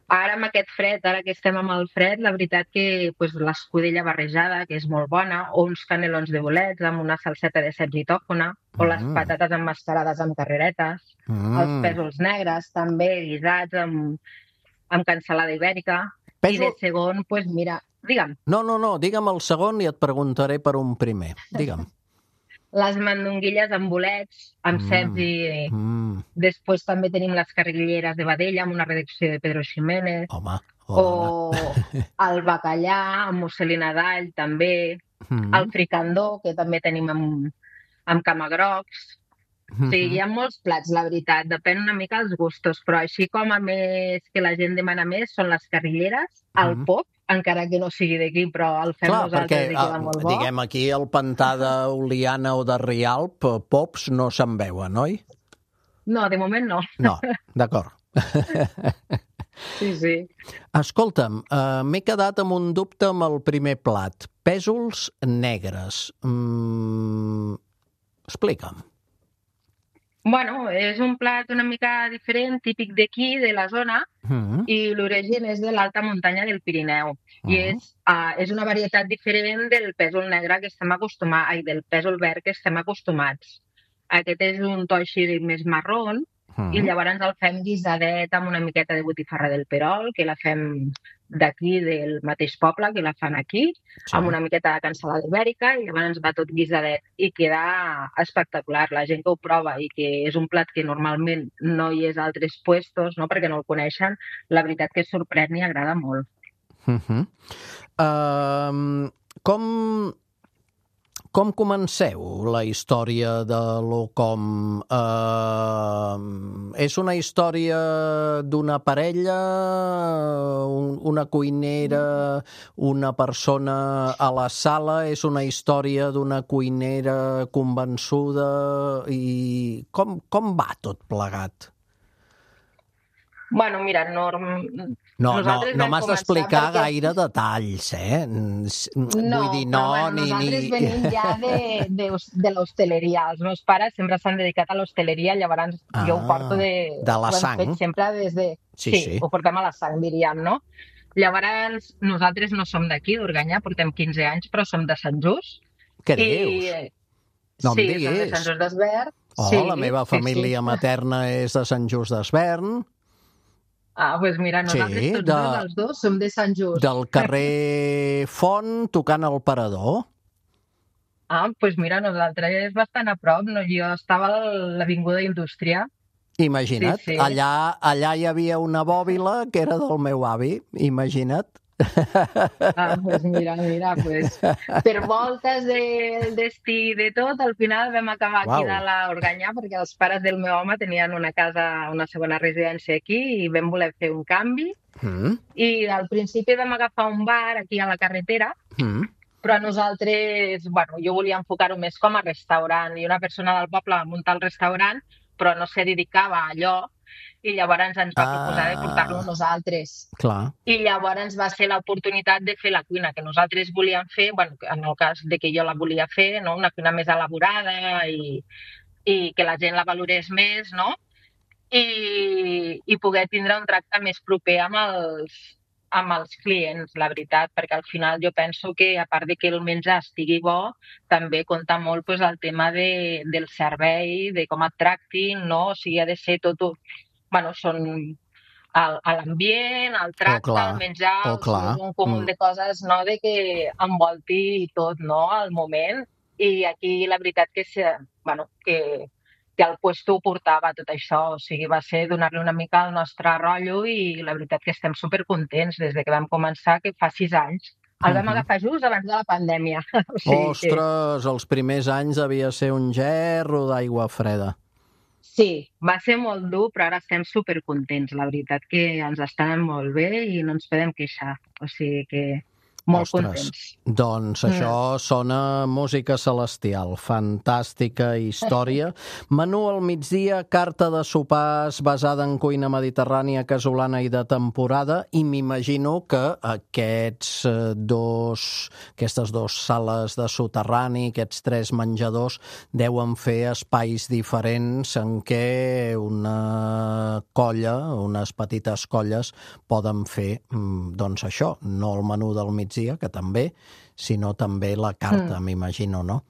Ara amb aquest fred, ara que estem amb el fred, la veritat que l'escudella barrejada, que és molt bona, o uns canelons de bolets amb una salseta de ceps i tòfona, o les patates emmascarades amb carreretes, els pèsols negres també guisats amb cansalada ibèrica. I de segon, doncs mira, digue'm. No, digue'm el segon i et preguntaré per un primer. Digue'm. Les mandonguilles amb bolets, amb ceps i... Després també tenim les carrilleres de vedella amb una redacció de Pedro Ximénez. O el bacallà amb musselina d'all, també. El fricandó, que també tenim amb camagrocs. O sigui, hi ha molts plats, la veritat. Depèn una mica dels gustos, però així com a més que la gent demana més són les carrilleres, el pop, encara que no sigui d'aquí, però el fem nosaltres i queda molt bo. Diguem, aquí al pantà d'Oliana o de Rialp, pops no se'n veuen, oi? No, de moment no. No, d'acord. Sí. Escolta'm, m'he quedat amb un dubte amb el primer plat. Pèsols negres. Explica'm. Bueno, és un plat una mica diferent, típic d'aquí, de la zona, i l'origen és de l'alta muntanya del Pirineu. I és una varietat diferent del pèsol negre que estem acostumats, del pèsol verd que estem acostumats. Aquest és un to així més marrón, i llavors el fem guisadet amb una miqueta de botifarra del Perol, que la fem d'aquí, del mateix poble, que la fan aquí, amb una miqueta de cansalada ibèrica, i llavors va tot guisadet i queda espectacular. La gent que ho prova i que és un plat que normalment no hi és a altres puestos, no, perquè no el coneixen, la veritat que sorprèn i agrada molt. Com comenceu la història de l'Ocom? És una història d'una parella, una cuinera, una persona a la sala? És una història d'una cuinera convençuda? I com va tot plegat? Bueno, mira, no m'has d'explicar gaire detalls, No, vull dir, nosaltres venim ja de l'hostaleria. Els meus pares sempre s'han dedicat a l'hostaleria, llavors jo ho porto de la sang. Ho hem fet sempre des de... Sí, ho portem a la sang, diríem, no? Llavors, nosaltres no som d'aquí, d'Organyà, portem 15 anys, però som de Sant Just. Què dius? No em diguis. Sí, som de Sant Just d'Esvern. La meva família materna és de Sant Just d'Esvern. Doncs mira, nosaltres tots els dos som de Sant Just. Del carrer Font, tocant el Parador. Doncs mira, nosaltres és bastant a prop. Jo estava a l'Avinguda Indústria. Imagina't, Sí. allà hi havia una bòbila que era del meu avi, imagina't. Pues mira, pues, per voltes del destí de tot, al final vam acabar aquí Uau. a l'Organyà perquè els pares del meu home tenien una casa, una segona residència aquí i vam voler fer un canvi i al principi vam agafar un bar aquí a la carretera, però nosaltres, bueno, jo volia enfocar-ho més com a restaurant i una persona del poble va muntar el restaurant però no se dedicava a allò i llavors ens va proposar de portar-lo nosaltres. Clar. I llavors va ser l'oportunitat de fer la cuina que nosaltres volíem fer, bueno, en el cas de que jo la volia fer, no? Una cuina més elaborada i que la gent la valorés més, no? I poder tindre un tracte més proper amb els clients, la veritat, perquè al final jo penso que, a part de que el menjar estigui bo, també compta molt pues, el tema del servei, de com et tractin, no? O sigui, ha de ser tot... Bueno, són l'ambient, el tracte, el menjar, un comú de coses, no?, de que envolti tot, no?, al moment. I aquí la veritat que el puesto ho portava tot això, o sigui, va ser donar-li una mica el nostre rotllo i la veritat que estem supercontents des de que vam començar, que fa 6 anys. El vam agafar just abans de la pandèmia. O sigui, ostres, els primers anys devia ser un gerro d'aigua freda. Sí, va ser molt dur, però ara estem supercontents. La veritat que ens estan molt bé i no ens podem queixar. O sigui que molt contents. Doncs això sona música celestial, fantàstica història. Menú al migdia, carta de sopars basada en cuina mediterrània, casolana i de temporada, i m'imagino que aquestes dues sales de soterrani, aquests 3 menjadors, deuen fer espais diferents en què una colla, unes petites colles, poden fer, doncs això, no el menú del migdia, que també, sinó també la carta, m'imagino, no?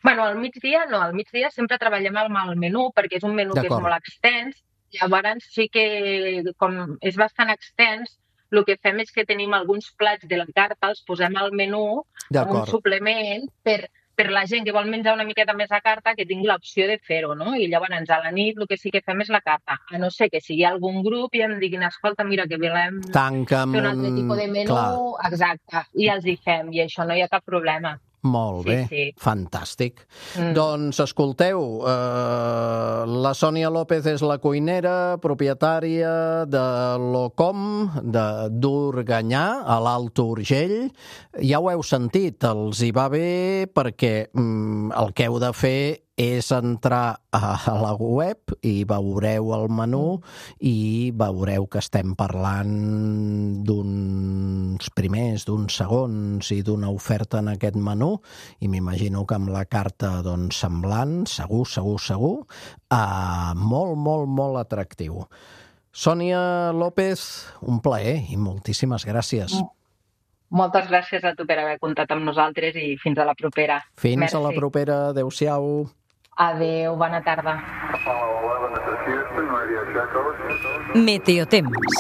Bueno, al migdia no, al migdia sempre treballem amb el menú, perquè és un menú que és molt extens, llavors sí que, com és bastant extens, el que fem és que tenim alguns plats de la carta, els posem al menú com un suplement per la gent que vol menjar una miqueta més a carta, que tingui l'opció de fer-ho, no? I llavors a la nit el que sí que fem és la carta. A no ser que sigui algun grup i em diguin, escolta, mira, que volem fer un altre tipus de menú, exacte, i els hi fem, i això no hi ha cap problema. Molt bé, fantàstic. Doncs escolteu, la Sònia López és la cuinera, propietària de l'Ocom, d'Organyà, a l'Alt Urgell. Ja ho heu sentit, els hi va bé perquè el que heu de fer és entrar a la web i veureu el menú i veureu que estem parlant d'uns primers, d'uns segons i d'una oferta en aquest menú, i m'imagino que amb la carta doncs, semblant, segur, molt atractiu. Sònia López, un plaer i moltíssimes gràcies. Moltes gràcies a tu per haver comptat amb nosaltres i fins a la propera. Fins a la propera, adeu-siau. Adeu, bona tarda. Meteotemps.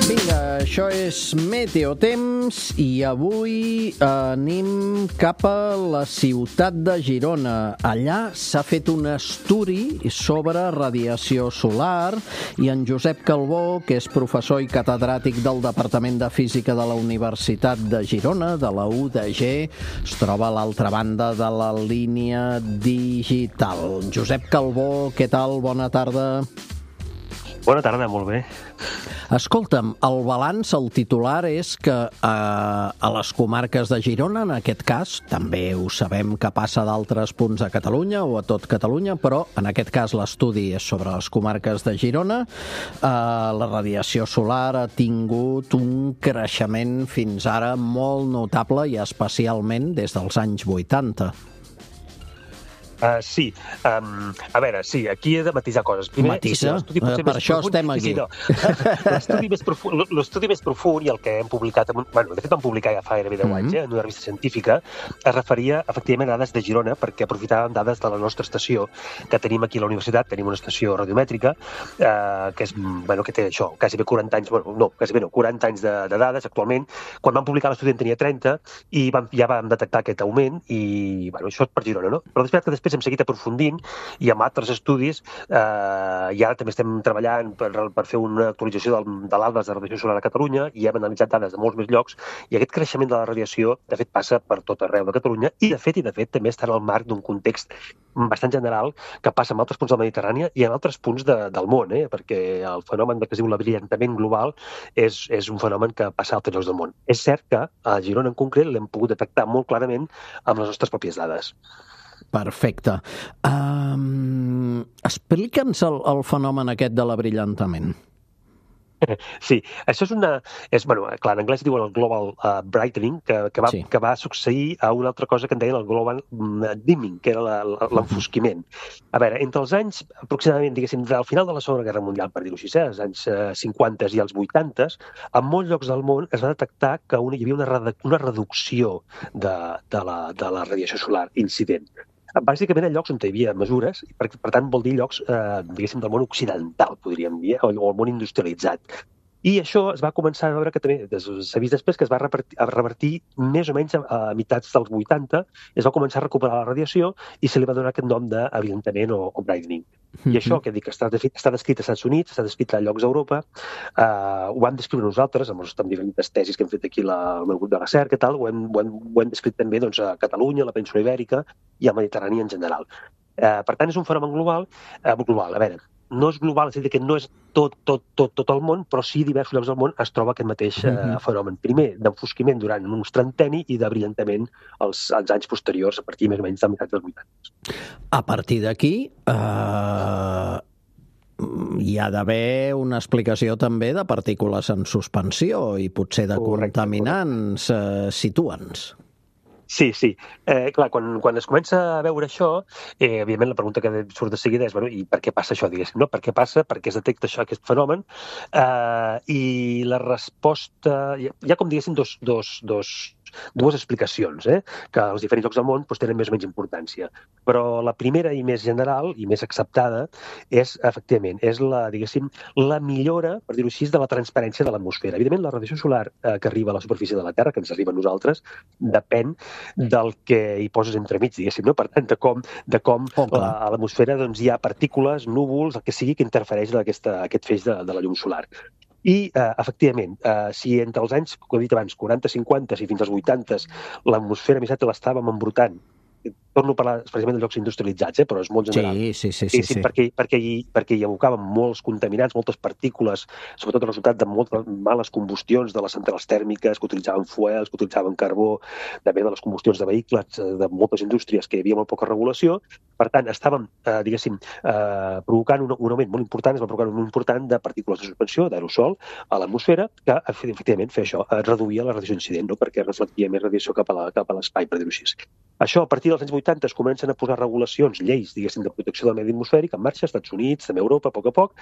Vinga, això és Meteotemps i avui anem cap a la ciutat de Girona. Allà s'ha fet un estudi sobre radiació solar i en Josep Calbó, que és professor i catedràtic del Departament de Física de la Universitat de Girona, de la UDG, es troba a l'altra banda de la línia digital. Josep Calbó, què tal? Bona tarda. Bona tarda, molt bé. Escolta'm, el balanç, el titular és que a les comarques de Girona, en aquest cas, també ho sabem que passa a d'altres punts de Catalunya o a tot Catalunya, però en aquest cas l'estudi és sobre les comarques de Girona, la radiació solar ha tingut un creixement fins ara molt notable i especialment des dels anys 80. Sí. A veure, sí, aquí he de matisar coses. Primer, Matisa? Per això estem aquí. L'estudi més profund i el que hem publicat, de fet vam publicar ja fa gairebé 10 anys, en una revista científica, es referia efectivament a dades de Girona, perquè aprofitàvem dades de la nostra estació que tenim aquí a la universitat. Tenim una estació radiomètrica que és, que té això, quasi bé 40 anys, 40 anys de dades actualment. Quan vam publicar l'estudi en tenia 30 i ja vam detectar aquest augment i, això és per Girona, no? Però després hem seguit aprofundint i amb altres estudis i ara també estem treballant per fer una actualització de l'Atles de radiació solar a Catalunya i hem analitzat dades de molts més llocs i aquest creixement de la radiació de fet passa per tot arreu de Catalunya i de fet també està en el marc d'un context bastant general que passa en altres punts de la Mediterrània i en altres punts del món, perquè el fenomen que es diu l'abrillantament global és un fenomen que passa a altres llocs del món. És cert que a Girona en concret l'hem pogut detectar molt clarament amb les nostres pròpies dades. Perfecte. Explica'ns el fenomen aquest de l'abrillantament. Sí, això clar, en anglès diuen el global brightening, que va succeir a una altra cosa que en deien el global dimming, que era l'enfosquiment. A veure, entre els anys, aproximadament, diguéssim, del final de la Segona Guerra Mundial, per dir-ho així, als anys 50 i als 80, en molts llocs del món es va detectar que hi havia una reducció de la radiació solar incident. Bàsicament en llocs on hi havia mesures, i per tant vol dir llocs, diguéssim, del món occidental, podríem dir, o el món industrialitzat. I això es va començar a veure que també s'ha vist després que es va revertir més o menys a meitats dels 80, es va començar a recuperar la radiació i se li va donar aquest nom d'abrillantament o brightening. I això, que dic, està descrit als Estats Units, està descrit a llocs d'Europa, ho vam descriure nosaltres, amb diferents tesis que hem fet aquí al meu grup de recerca i tal, ho hem descrit també a Catalunya, a la península Ibèrica i al Mediterrani en general. Per tant, és un fenomen global. A veure, no és global, és a dir, que no és tot el món, però sí diversos llocs del món es troba aquest mateix fenomen. Primer, d'enfosquiment durant un trentenni i de brillantament als anys posteriors, a partir més o menys de meitat dels 80. A partir d'aquí hi ha d'haver una explicació també de partícules en suspensió i potser de contaminants. Situa'ns. Sí. Clar, quan es comença a veure això, evidentment la pregunta que surt de seguida és, i per què passa això, diguéssim, no? Per què passa? Per què es detecta això, aquest fenomen? I la resposta... Hi ha com, diguéssim, dues explicacions, que als diferents llocs del món tenen més o menys importància. Però la primera i més general i més acceptada és, efectivament, la millora, per dir-ho així, de la transparència de l'atmosfera. Evidentment, la radiació solar que arriba a la superfície de la Terra, que ens arriba a nosaltres, depèn del que hi poses entremig, diguéssim, no? Per tant, de com a l'atmosfera hi ha partícules, núvols, el que sigui que interfereix en aquest feix de la llum solar. I, efectivament, si entre els anys, com he dit abans, 40, 50 i fins als 80 l'atmosfera més alta l'estàvem embrutant, torno a parlar precisament de llocs industrialitzats, però és molt general. Sí. Perquè hi abocaven molts contaminants, moltes partícules, sobretot el resultat de moltes males combustions de les centrals tèrmiques, que utilitzaven fuels, que utilitzaven carbó, també de les combustions de vehicles de moltes indústries que hi havia molt poca regulació. Per tant, estàvem, provocant un augment molt important, es va provocar un augment important de partícules de suspensió, d'aerosol, a l'atmosfera, que efectivament feia això, reduïa la radiació incident, no? Perquè reflectia més radiació cap a l'espai, per dir-ho així. Això, a partir dels anys 80 es comencen a posar regulacions, lleis, diguéssim, de protecció del medi atmosfèric en marxa, als Estats Units, també a Europa, a poc,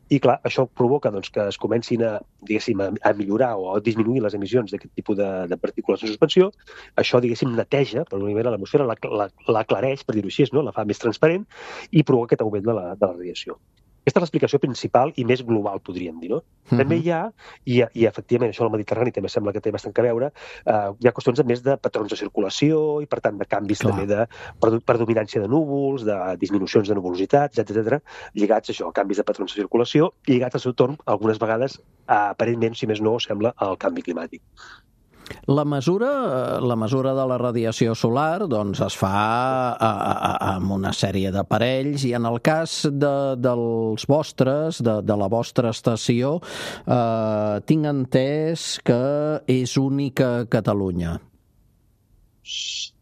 i clar, això provoca que es comencin a millorar o a disminuir les emissions d'aquest tipus de partícules de suspensió. Això, diguéssim, neteja, per una manera, l'atmosfera, l'aclareix, per dir-ho així, no? La fa més transparent i provoca aquest augment de la radiació. Aquesta és l'explicació principal i més global, podríem dir, no? També hi ha, i efectivament això al Mediterrani també sembla que té bastant a veure, hi ha qüestions més de patrons de circulació i, per tant, de canvis també de predominància de núvols, de disminucions de nuvolositats, etc., lligats a això, a canvis de patrons de circulació, lligats al seu torn, algunes vegades, aparentment, si més no, sembla al canvi climàtic. La mesura de la radiació solar es fa amb una sèrie d'aparells i en el cas dels vostres, de la vostra estació, tinc entès que és única a Catalunya.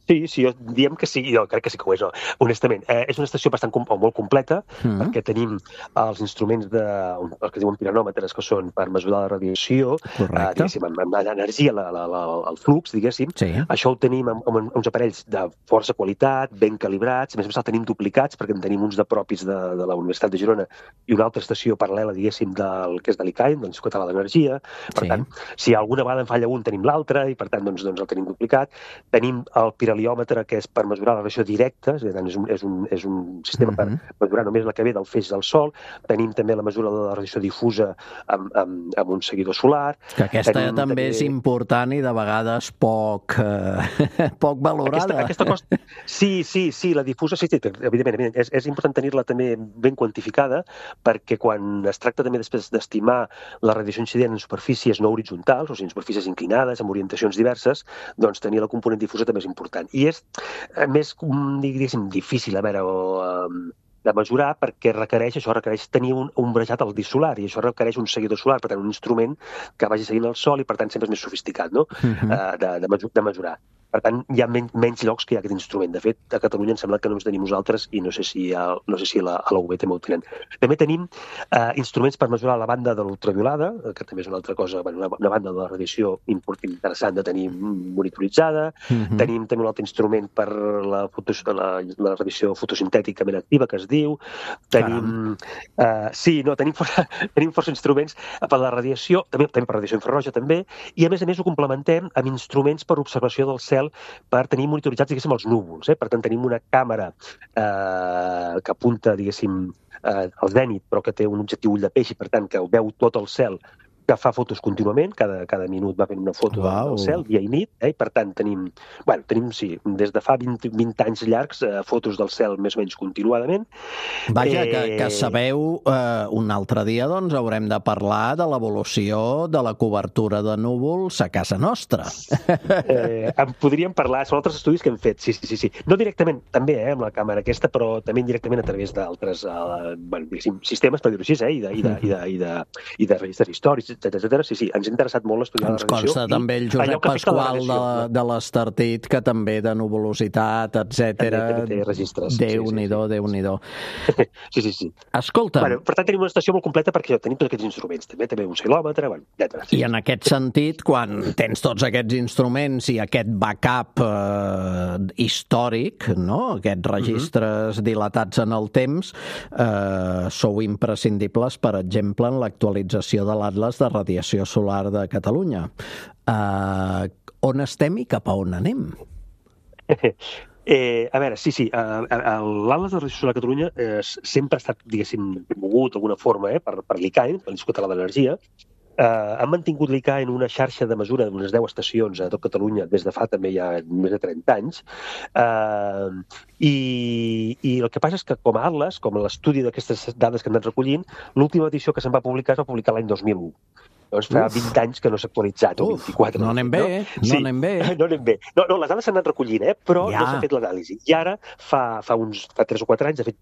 Sí, diem que sí, jo crec que sí que ho és, no? Honestament. És una estació molt completa, perquè tenim els instruments els que diuen piranòmetres, que són per mesurar la radiació, diguéssim, amb l'energia, el flux, diguéssim. Sí. Això ho tenim amb uns aparells de força qualitat, ben calibrats, a més el tenim duplicats, perquè en tenim uns de propis de la Universitat de Girona i una altra estació paral·lela, diguéssim, del que és de l'ICAEN, de l'Institut Català d'Energia. Per tant, si alguna vegada en falla un, tenim l'altre, i per tant, doncs el tenim duplicat. Tenim el piraliòmetre, que és per mesurar la radiació directa, és un sistema per mesurar només la que ve del feix del Sol. Tenim també la mesura de la radiació difusa amb un seguidor solar. Que aquesta també és important i de vegades poc valorada. Aquesta costa... Sí, la difusa, sí, evidentment. És important tenir-la també ben quantificada, perquè quan es tracta també després d'estimar la radiació incident en superfícies no horitzontals, o sigui, en superfícies inclinades, amb orientacions diverses, doncs tenir la component difusa també és important. I és més, diguéssim, difícil de mesurar, perquè això requereix tenir un ombrejat al disc solar, i això requereix un seguidor solar, per tant, un instrument que vagi seguint el Sol, i per tant sempre és més sofisticat, no? De mesurar. Per tant, hi ha menys llocs que hi ha aquest instrument. De fet, a Catalunya em sembla que només tenim nosaltres, i no sé si a la UB també ho tenen. També tenim instruments per mesurar la banda de l'ultraviolada, que també és una altra cosa, una banda de la radiació interessant de tenir monitoritzada. Tenim també un altre instrument per la radiació fotosintèticament activa, que es diu. Tenim força instruments per la radiació, també per radiació infraroja, també, i a més ho complementem amb instruments per observació del cel, per tenir monitoritzats, diguéssim, els núvols. Per tant, tenim una càmera que apunta, diguéssim, al zènit, però que té un objectiu ull de peix, i per tant, que veu tot el cel, que fa fotos contínuament, cada minut va fent una foto del cel, dia i nit, i per tant tenim, des de fa 20 anys llargs, fotos del cel més o menys continuadament. Vaja, que sabeu, un altre dia doncs haurem de parlar de l'evolució de la cobertura de núvols a casa nostra. En podríem parlar, són altres estudis que hem fet, sí. No directament, també, amb la càmera aquesta, però també indirectament a través d'altres sistemes, per dir-ho així, i de registres històrics, etcètera. Sí, ens ha interessat molt estudiar la radiació. Ens consta també el Josep Pasqual de l'Estartit, que també de nuvolositat, etcètera. També té registres. Déu-n'hi-do. Sí. Escolta. Per tant, tenim una estació molt completa perquè tenim tots aquests instruments. També un oscil·lòmetre, etcètera. I en aquest sentit, quan tens tots aquests instruments i aquest backup històric, no? Aquests registres dilatats en el temps, sou imprescindibles, per exemple, en l'actualització de l'Atles de Radiació Solar de Catalunya. On estem i cap a on anem? A veure, sí. L'Atles de Radiació Solar de Catalunya sempre ha estat, diguéssim, promogut d'alguna forma per l'ICAEN, l'Institut Català d'Energia. Han mantingut l'ICAEN una xarxa de mesura d'unes 10 estacions a tot Catalunya des de fa també ja més de 30 anys. I el que passa és que com a Atles, com a l'estudi d'aquestes dades que han anat recollint, l'última edició que se'n va publicar es va publicar l'any 2001. Doncs fa 20 anys que no s'ha actualitzat, o 24. No anem bé, No anem bé. No, les dades s'han anat recollint, però no s'ha fet l'anàlisi. I ara, fa 3 o 4 anys, de fet,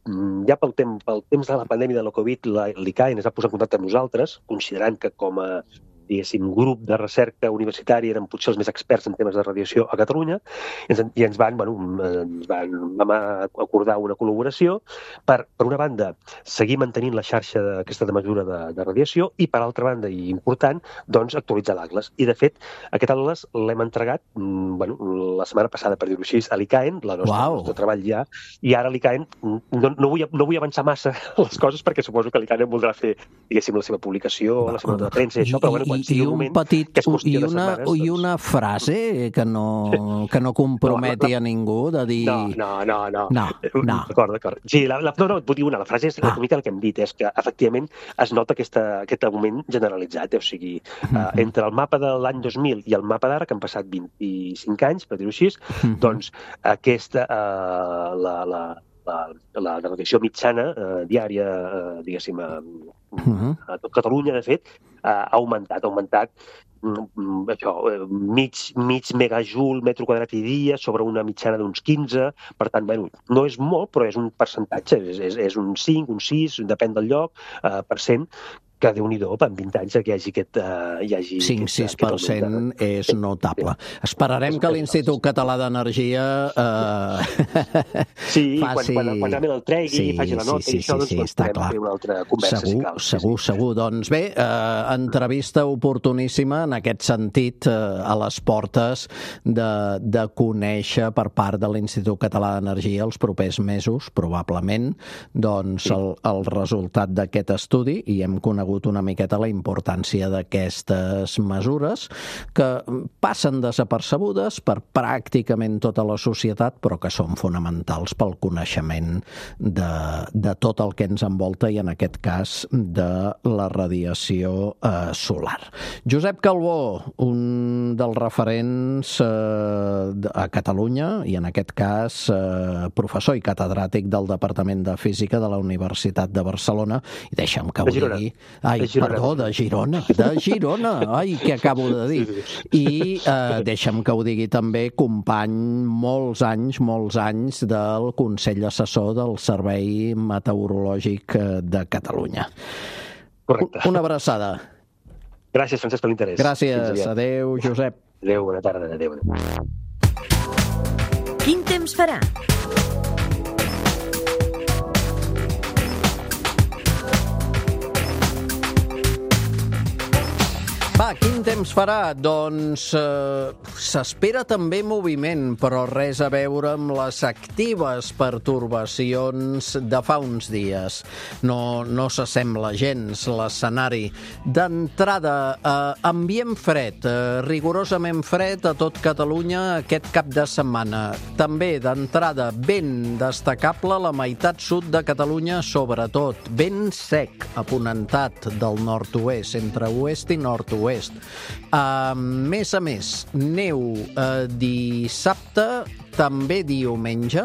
ja pel temps de la pandèmia de la Covid, l'ICAEN es va posar en contacte amb nosaltres, considerant que com a grup de recerca universitària eren potser els més experts en temes de radiació a Catalunya, i ens vam acordar una col·laboració per una banda, seguir mantenint la xarxa aquesta de mesura de radiació, i per altra banda, i important, doncs actualitzar l'Atles. I de fet, aquest Atles l'hem entregat la setmana passada, per dir-ho així, a l'ICAEN, el nostre treball ja, i ara l'ICAEN, no vull avançar massa les coses, perquè suposo que l'ICAEN voldrà fer, diguéssim, la seva publicació, la seva nota de premsa i això, però i una frase que no comprometi a ningú de dir... No. D'acord. Sí, vull dir la frase és una mica el que hem dit, és que efectivament es nota aquest augment generalitzat, o sigui, entre el mapa de l'any 2000 i el mapa d'ara, que han passat 25 anys, per dir-ho així, doncs aquesta, la radiació mitjana diària, diguéssim, a tot Catalunya, de fet, ha augmentat això, mig megajoule metro quadrat i dia sobre una mitjana d'uns 15, per tant, no és molt, però és un percentatge, és un 5, un 6, depèn del lloc, %, que Déu-n'hi-do, en 20 anys que hi hagi 5-6% és notable. Esperarem que l'Institut Català d'Energia faci... Quan realment el tregui i faci la nota i això, doncs podem fer una altra conversa, si cal. Segur. Doncs bé, entrevista oportuníssima en aquest sentit, a les portes de conèixer per part de l'Institut Català d'Energia els propers mesos, probablement, doncs el resultat d'aquest estudi, i hem conegut una miqueta la importància d'aquestes mesures que passen desapercebudes per pràcticament tota la societat, però que són fonamentals pel coneixement de tot el que ens envolta i en aquest cas de la radiació solar. Josep Calbó, un dels referents a Catalunya i en aquest cas professor i catedràtic del Departament de Física de la Universitat de Barcelona, i deixa'm que ho digui... de Girona. Ai, què acabo de dir. I deixa'm que ho digui també, company molts anys del Consell Assessor del Servei Meteorològic de Catalunya. Correcte. Una abraçada. Gràcies, Francesc, per l'interès. Gràcies. Adéu, Josep. Adéu, bona tarda. Adéu. Quin temps farà? Va, quin temps farà? Doncs s'espera també moviment, però res a veure amb les actives pertorbacions de fa uns dies. No s'assembla gens l'escenari. D'entrada, ambient fred, rigorosament fred a tot Catalunya aquest cap de setmana. També, d'entrada, vent destacable a la meitat sud de Catalunya, sobretot. Vent sec, aponentat del nord-oest, entre oest i nord-oest. A més, neu dissabte, també diumenge,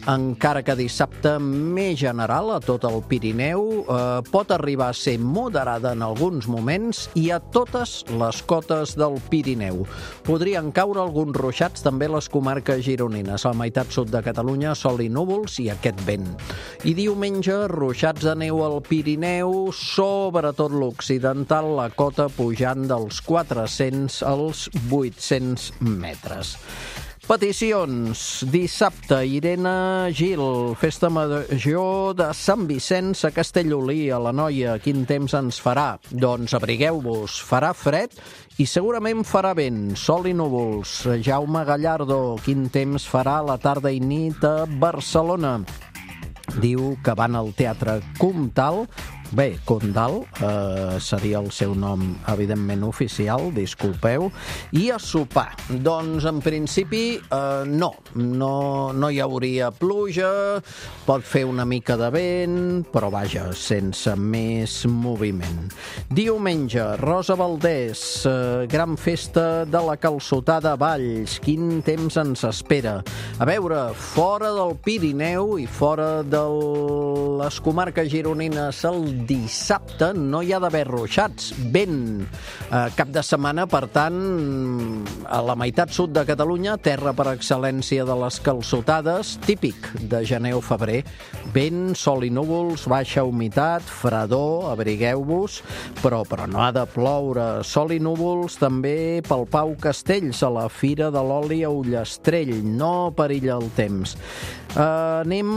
encara que dissabte més general a tot el Pirineu, pot arribar a ser moderada en alguns moments i a totes les cotes del Pirineu. Podrien caure alguns ruixats també a les comarques gironines, a la meitat sud de Catalunya, sol i núvols i aquest vent. I diumenge, ruixats de neu al Pirineu, sobretot l'occidental, la cota pujant dels 400 als 800 metres. Peticions. Dissabte, Irene Gil, festa major de Sant Vicenç a Castellolí, a l'Anoia. Quin temps ens farà? Doncs abrigueu-vos, farà fred i segurament farà vent, sol i núvols. Jaume Gallardo, quin temps farà a la tarda i nit a Barcelona? Diu que van al Teatre Comtal. Bé, Condal seria el seu nom, evidentment, oficial, disculpeu. I a sopar. Doncs, en principi, no hi hauria pluja, pot fer una mica de vent, però vaja, sense més moviment. Diumenge, Rosa Valdés, gran festa de la calçotada a Valls. Quin temps ens espera? A veure, fora del Pirineu i fora de les comarques gironines, el dissabte no hi ha d'haver ruixats, vent. Cap de setmana, per tant, a la meitat sud de Catalunya, terra per excel·lència de les calçotades, típic de gener o febrer. Vent, sol i núvols, baixa humitat, fredor, abrigueu-vos, però no ha de ploure. Sol i núvols també pel Pau Castells, a la Fira de l'Oli a Ullastrell. No perilla el temps. Anem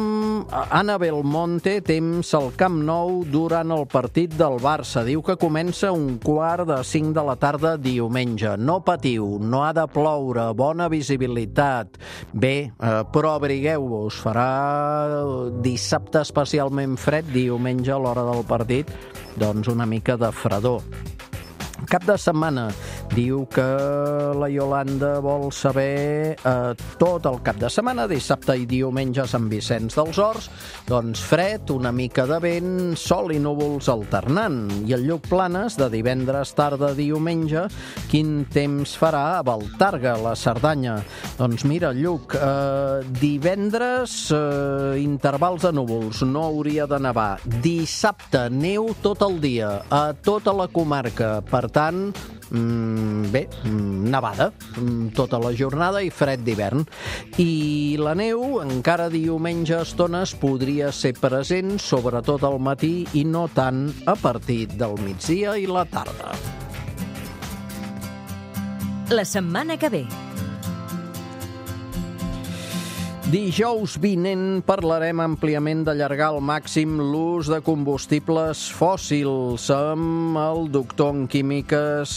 a Anna Belmonte, temps al Camp Nou durant el partit del Barça. Diu que comença 4:45 de la tarda diumenge. No patiu, no ha de ploure, bona visibilitat. Bé, però abrigueu-vos, farà dissabte especialment fred, diumenge a l'hora del partit, doncs una mica de fredor. Cap de setmana, diu que la Iolanda vol saber tot el cap de setmana, dissabte i diumenge a Sant Vicenç dels Horts, doncs fred, una mica de vent, sol i núvols alternant. I el Lluc Planes, de divendres tarda a diumenge, quin temps farà a Baltarga, la Cerdanya? Doncs mira, Lluc, divendres intervals de núvols, no hauria de nevar. Dissabte, neu tot el dia, a tota la comarca. Per tant, nevada tota la jornada i fred d'hivern. I la neu, encara diumenge a estones, podria ser present, sobretot al matí i no tant a partir del migdia i la tarda. La setmana que ve. Dijous vinent parlarem àmpliament d'allargar al màxim l'ús de combustibles fòssils amb el doctor en químiques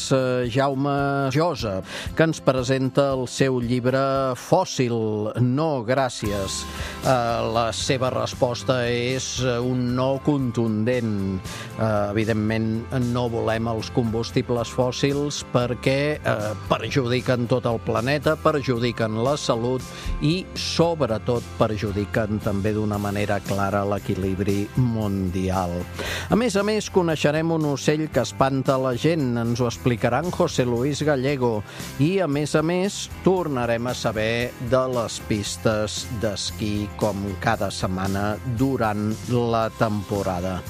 Jaume Josa, que ens presenta el seu llibre Fòssil, no gràcies. La seva resposta és un no contundent. Evidentment, no volem els combustibles fòssils perquè perjudiquen tot el planeta, perjudiquen la salut i, sobretot, perjudiquen també d'una manera clara l'equilibri mundial. A més, coneixerem un ocell que espanta la gent. Ens ho explicarà en José Luis Gallego. I, a més, tornarem a saber de les pistes d'esquí com cada setmana durant la temporada.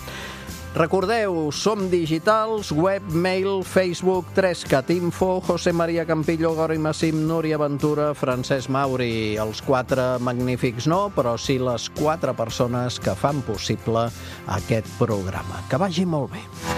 Recordeu, som digitals, web, mail, Facebook, 3cat Info, José María Campillo, Gori Massim, Núria Ventura, Francesc Mauri. Els 4 magnífics no, però sí les 4 persones que fan possible aquest programa. Que vagi molt bé.